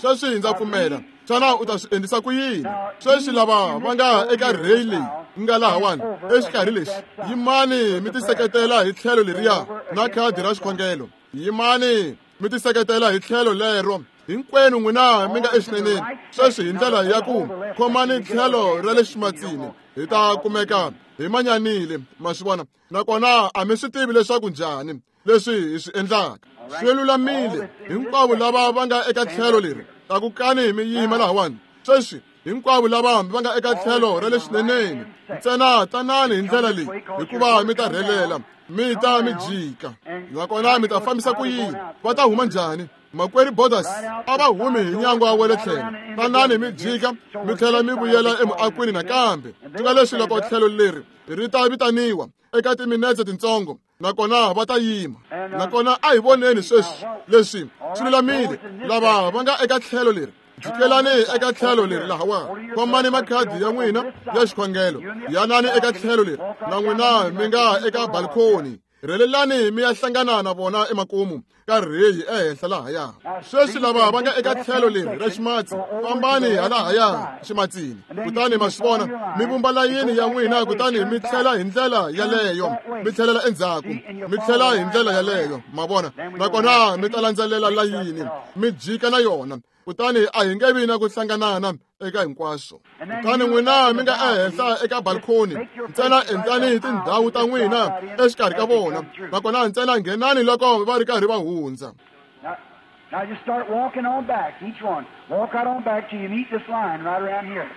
Sweswi ndza pfumela. Xana u ta swi endlisa ku yini? Sweswi lava va nga eka rheyi leyi nga lahawani exikarhi lexi, yimani mi tiseketela hi tlhelo leriya na khadi ra xikhongelo. Yimani mi tiseketela hi tlhelo lero. Hinkwenu n'wina mi nga exineneni. Sweswi hi ndlela ya ku khomani tlhelo ra le ximatsini, hi ta kumeka hi manyanile, ma swi vona. Nakona a mi swi tivi leswaku njhani leswi hi swi endlaka. Swi lulamile. Hinkwavo lava va nga eka tlhelo leri, tlakukani mi yima lahawani. Sweswi hinkwavo lava va nga eka tlhelo ra le xineneni, ntsena tanani hi ndlela leyi, hikuva mi ta rhelela, mi ta mi jika. Nakona mi ta fambisa ku yini? Va ta huma njhani? Makwerhu Borders a va humi hi nyangwa wa le tlhelo. Tanani mi jika, mi tlhela mi vuyela emuakweni nakambe. Swi nga leswi loko tlhelo leri ri ta vitaniwa eka timinetse tintsongo, nakona va ta yima. Nakona a hi voneni sweswi leswi swi lulamile. Lava va nga eka tlhelo leri Jikelani eka tlhelo leri lahawani. Khomani makhadi ya n'wina ya xikhongelo. Yanani eka tlhelo leri na n'wina mi nga eka balcony. Rhelelani mi ya hlangana na vona emakumu ka rheyi ehenhla lahaya. Sweswi lava va nga eka tlhelo leri ra ximatsi, fambani halahaya ximatsini. Kutani ma swi vona, mi vumba layini ya n'wina kutani mi tlhela hi ndlela yaleyo, mi tlhelela endzhaku, mi tlhela hi ndlela yaleyo, ma vona. Nakona mi ta landzelela layini, mi jika na yona. Kutani a hi nge vi na ku hlanganana eka hinkwaswo. Kutani n'wina mi nga ehenhla eka balcony, ntsena endlani tindhawu ta n'wina exikarhi ka vona, nakona ntsena nghenani loko va ri karhi va hundza. Now just start walking on back, each one. Walk right on back till you meet this line right around here.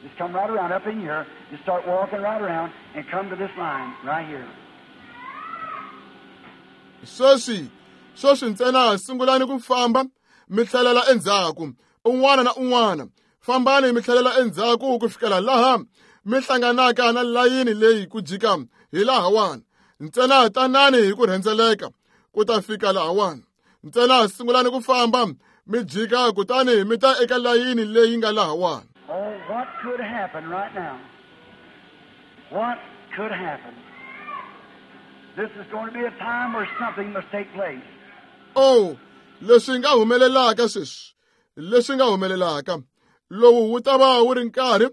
Just come right around up in here. Just start walking right around and come to this line right here. Sweswi, sweswi ntsena sungulani ku famba mi tlhelela endzhaku, un'wana na un'wana. Fambani mi tlhelela endzhaku ku fikela laha mi hlanganaka na layini leyi ku jika hi lahawani. Ntsena tanani hi ku rhendzeleka ku ta fika lahawani. Ntsena sungulani ku famba mi jika kutani mi ta eka layini leyi nga lahawani. Oh, what could happen right now? What could happen? This is going to be a time where something must take place. Oh, leswi nga humelelaka sweswi, leswi nga humelelaka, lowu wu ta va wu ri nkarhi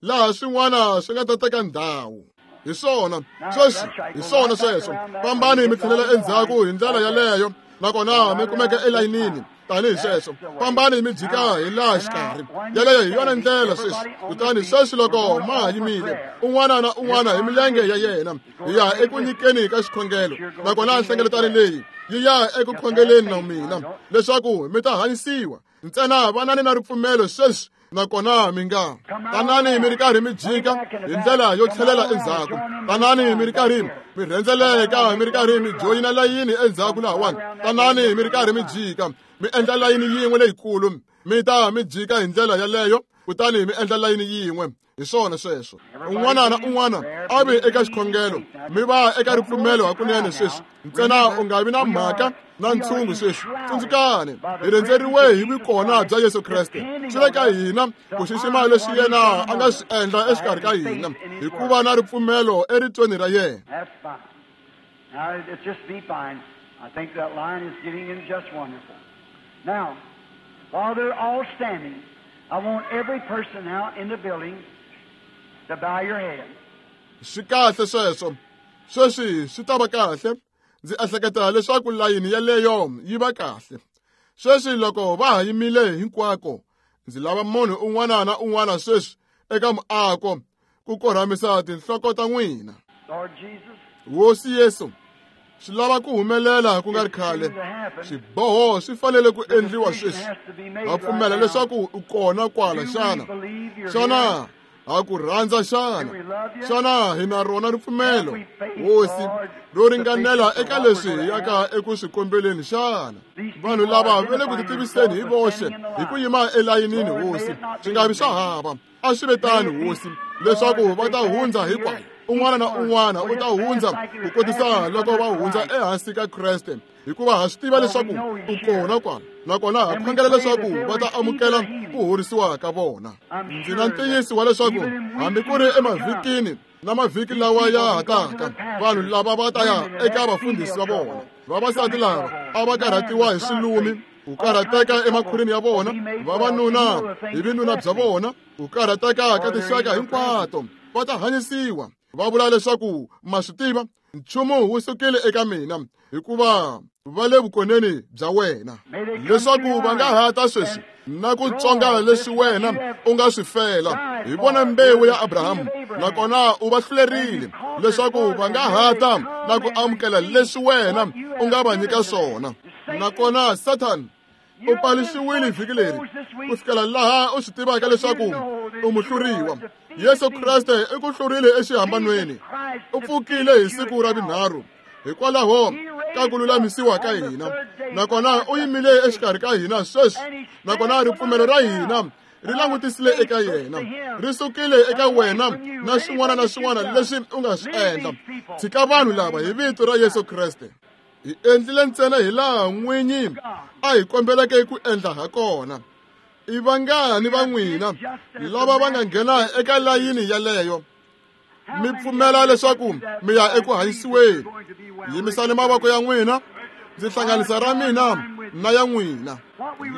laha swin'wana swi nga ta teka ndhawu. Hi swona sweswi, hi swona sweswo. Fambani mi tlhelela endzhaku hi ndlela yaleyo, nakona mi kumeka elayinini tanihi sweswo. Fambani mi jika hi laha xikarhi. Yaleyo hi yona ndlela sweswi. Kutani sweswi loko ma ha yimile, un'wana na un'wana hi milenge ya yena, hi ya eku nyikeni ka xikhongelo. Nakona nhlengeletano leyi yi ya eku khongeleni na mina leswaku mi ta hanyisiwa. Ntsena vanani na ripfumelo sweswi, nakona mi nga tanani mi ri karhi mi jika hi ndlela yo tlhelela endzhaku. Tanani mi ri karhi mi rhendzeleka, mi ri karhi mi joyina layini endzhaku lahawani. Tanani mi ri karhi mi jika, mi endla layini yin'we leyikulu, mi ta mi jika hi ndlela yaleyo, kutani mi endla layini yin'we. Hi swona sweswo. Un'wana na un'wana a vi eka xikhongelo, mi va eka ripfumelo hakunene sweswi. Ntsena u nga vi na mhaka na ntshungu sweswi. Tsundzukani, hi rhendzeriwe hi vukona bya Yesu Kreste. Swi le ka hina ku xixima leswi yena a nga swi endla exikarhi ka hina, hikuva na ripfumelo eritweni ra yena. That's fine. Now, it just be fine. I think that line is getting in just wonderful. Now, while they're all standing, I want every person now in the building to bow your head. Swi kahle sweswo. Sweswi swi ta va kahle. Ndzi ehleketa leswaku layini yaleyo yi va kahle. Sweswi loko va ha yimile hinkwako, ndzi lava munhu un'wana na un'wana sweswi eka muako ku korhamisa tinhloko ta n'wina. Lord Jesus, Hosi Yesu, swi lava ku humelela ku nga ri khale. Swiboho swi fanele ku endliwa sweswi. Ha pfumela leswaku u kona kwala xana? Xana ha ku rhandza xana? Xana hi na rona ripfumelo, Hosi, ro ringanela eka leswi hi yaka eku swi kombeleni xana? Vanhu lava va le ku titiviseni hi voxe hi ku yima elayinini, Hosi. Swi nga vi swa hava. A swi ve tano, Hosi, leswaku va ta hundza hinkwayo. Un'wana na un'wana u ta hundza ku kotisa loko va hundza ehansi ka Kreste, hikuva ha swi tiva leswaku u kona kwala. Nakona ha khongela leswaku va ta amukela ku horisiwa ka vona. Ndzi na ntiyiso wa leswaku hambi ku ri emavhikini na mavhiki lawa ya ha taka, vanhu lava va ta ya eka vafundhisi va vona. Vavasati lava a va karhatiwa hi swilumi, ku karhateka emakhwirini ya vona, vavanuna hi vinuna bya vona, ku karhateka ka tinxaka hinkwato, va ta hanyisiwa. Va vula leswaku ma swi tiva, nchumu wu sukile eka mina, hikuva va le vukoneni bya wena. Leswaku va nga ha ta sweswi na ku tsonga leswi wena u nga swi fela. Hi vona mbewu ya Abrahamu, nakona u va hlulerile leswaku va nga ha ta na ku amukela leswi wena u nga va nyika swona. Nakona Satan u paluxiwile vhiki leri ku fikela laha u swi tivaka leswaku u muhluriwa. Yesu Kreste i ku hlurile exihambanweni. U pfukile hi siku ra vunharhu hikwalaho ka ku lulamisiwa ka hina. Nakona u yimile exikarhi ka hina sweswi. Nakona ripfumelo ra hina ri langutisile eka yena, ri sukile eka wena na swin'wana na swin'wana leswi u nga swi endla. Tshika vanhu lava hi vito ra Yesu Kreste. Hi endlile ntsena hi laha n'winyi a hi kombeleke ku endla ha kona. I vangani va n'wina lava va nga nghena eka layini yaleyo mi pfumela leswaku mi ya eku hanyisiweni? Yimisani mavoko ya n'wina, ndzi hlanganisa ra mina na ya n'wina.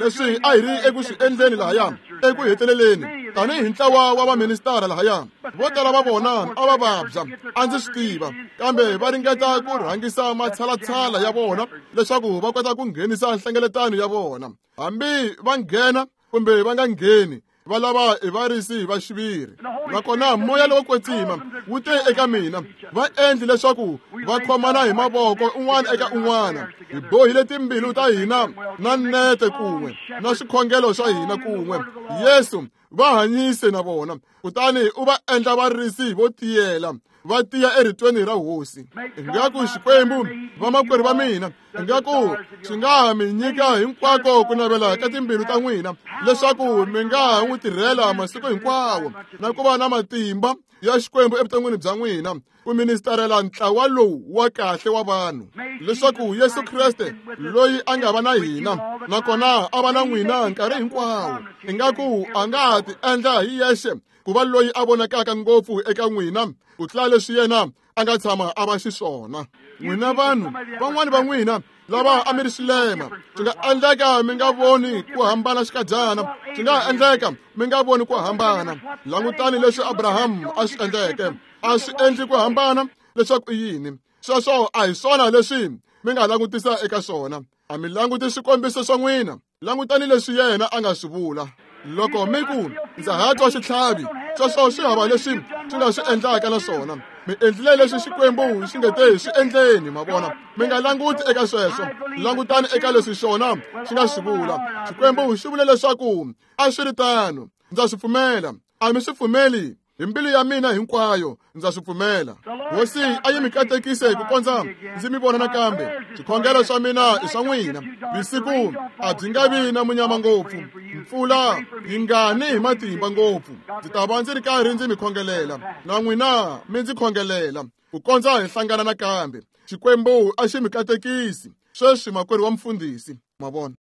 Leswi a hi ri eku swi endleni lahaya eku heteleleni tanihi ntlawa wa vaministara lahaya, vo tala va vona a va vabya, a ndzi swi tiva, kambe va ringeta ku rhangisa matshalatshala ya vona leswaku va kota ku nghenisa nhlengeletano ya vona. Hambi va nghena kumbe va nga ngheni, va lava i varisi va xiviri. Nakona moya lowo kwetsima wu te eka mina, va endli leswaku va khomana hi mavoko un'wana eka un'wana. Hi bohile timbilu ta hina na nete kun'we na swikhongelo swa hina kun'we. Yesu va hanyise na vona, kutani u va endla varisi vo tiyela, va tiya eritweni ra hosi. Ingaku Xikwembu, vamakwerhu va mina, ingaku xi nga mi nyika hinkwako ku navela ka timbilu ta n'wina, leswaku mi nga n'wi tirhela masiku hinkwawo na ku va na matimba ya Xikwembu evuton'wini bya n'wina, ku ministarela ntlawa lowu wa kahle wa vanhu, leswaku Yesu Kreste loyi a nga va na hina nakona a va na n'wina nkarhi hinkwawo, ingaku a nga ha ti endla hi yexe ku va loyi a vonakaka ngopfu eka n'wina ku tlula leswi yena a nga tshama a va xiswona. N'wina vanhu van'wani va n'wina lava a mi ri swilema, swi nga endleka mi nga voni ku hambana xikadyana, swi nga endleka mi nga voni ku hambana. Langutani leswi Abrahamu a swi endleke, a swi endli ku hambana leswaku i yini. Sweswo a hi swona leswi mi nga langutisa eka swona. A mi languti swikombiso swa n'wina, langutani leswi yena a nga swi vula. Loko mi ku ndza ha twa xitlhavi, sweswo swi hava leswi swi nga swi endlaka na swona. Mi endlile leswi Xikwembu xi nge te swi endleni, ma vona. Mi nga languti eka sweswo, langutani eka leswi xona xi nga swi vula. Xikwembu xi vule leswaku a swi ri tano, ndza swi pfumela. A mi swi pfumeli hi mbilu ya mina hinkwayo, ndza swi pfumela. Hosi a yi mi katekise ku kondza ndzi mi vona nakambe. Swikhongelo swa mina i swa n'wina. Vusiku a byi nga vi na munyama ngopfu, mpfula yi nga ni hi matimba ngopfu. Ndzi ta va ndzi ri karhi ndzi mi khongelela, na n'wina mi ndzi khongelela ku kondza hi hlangana nakambe. Xikwembu a xi mi katekisi. Sweswi makwerhu wa mfundhisi, ma vona.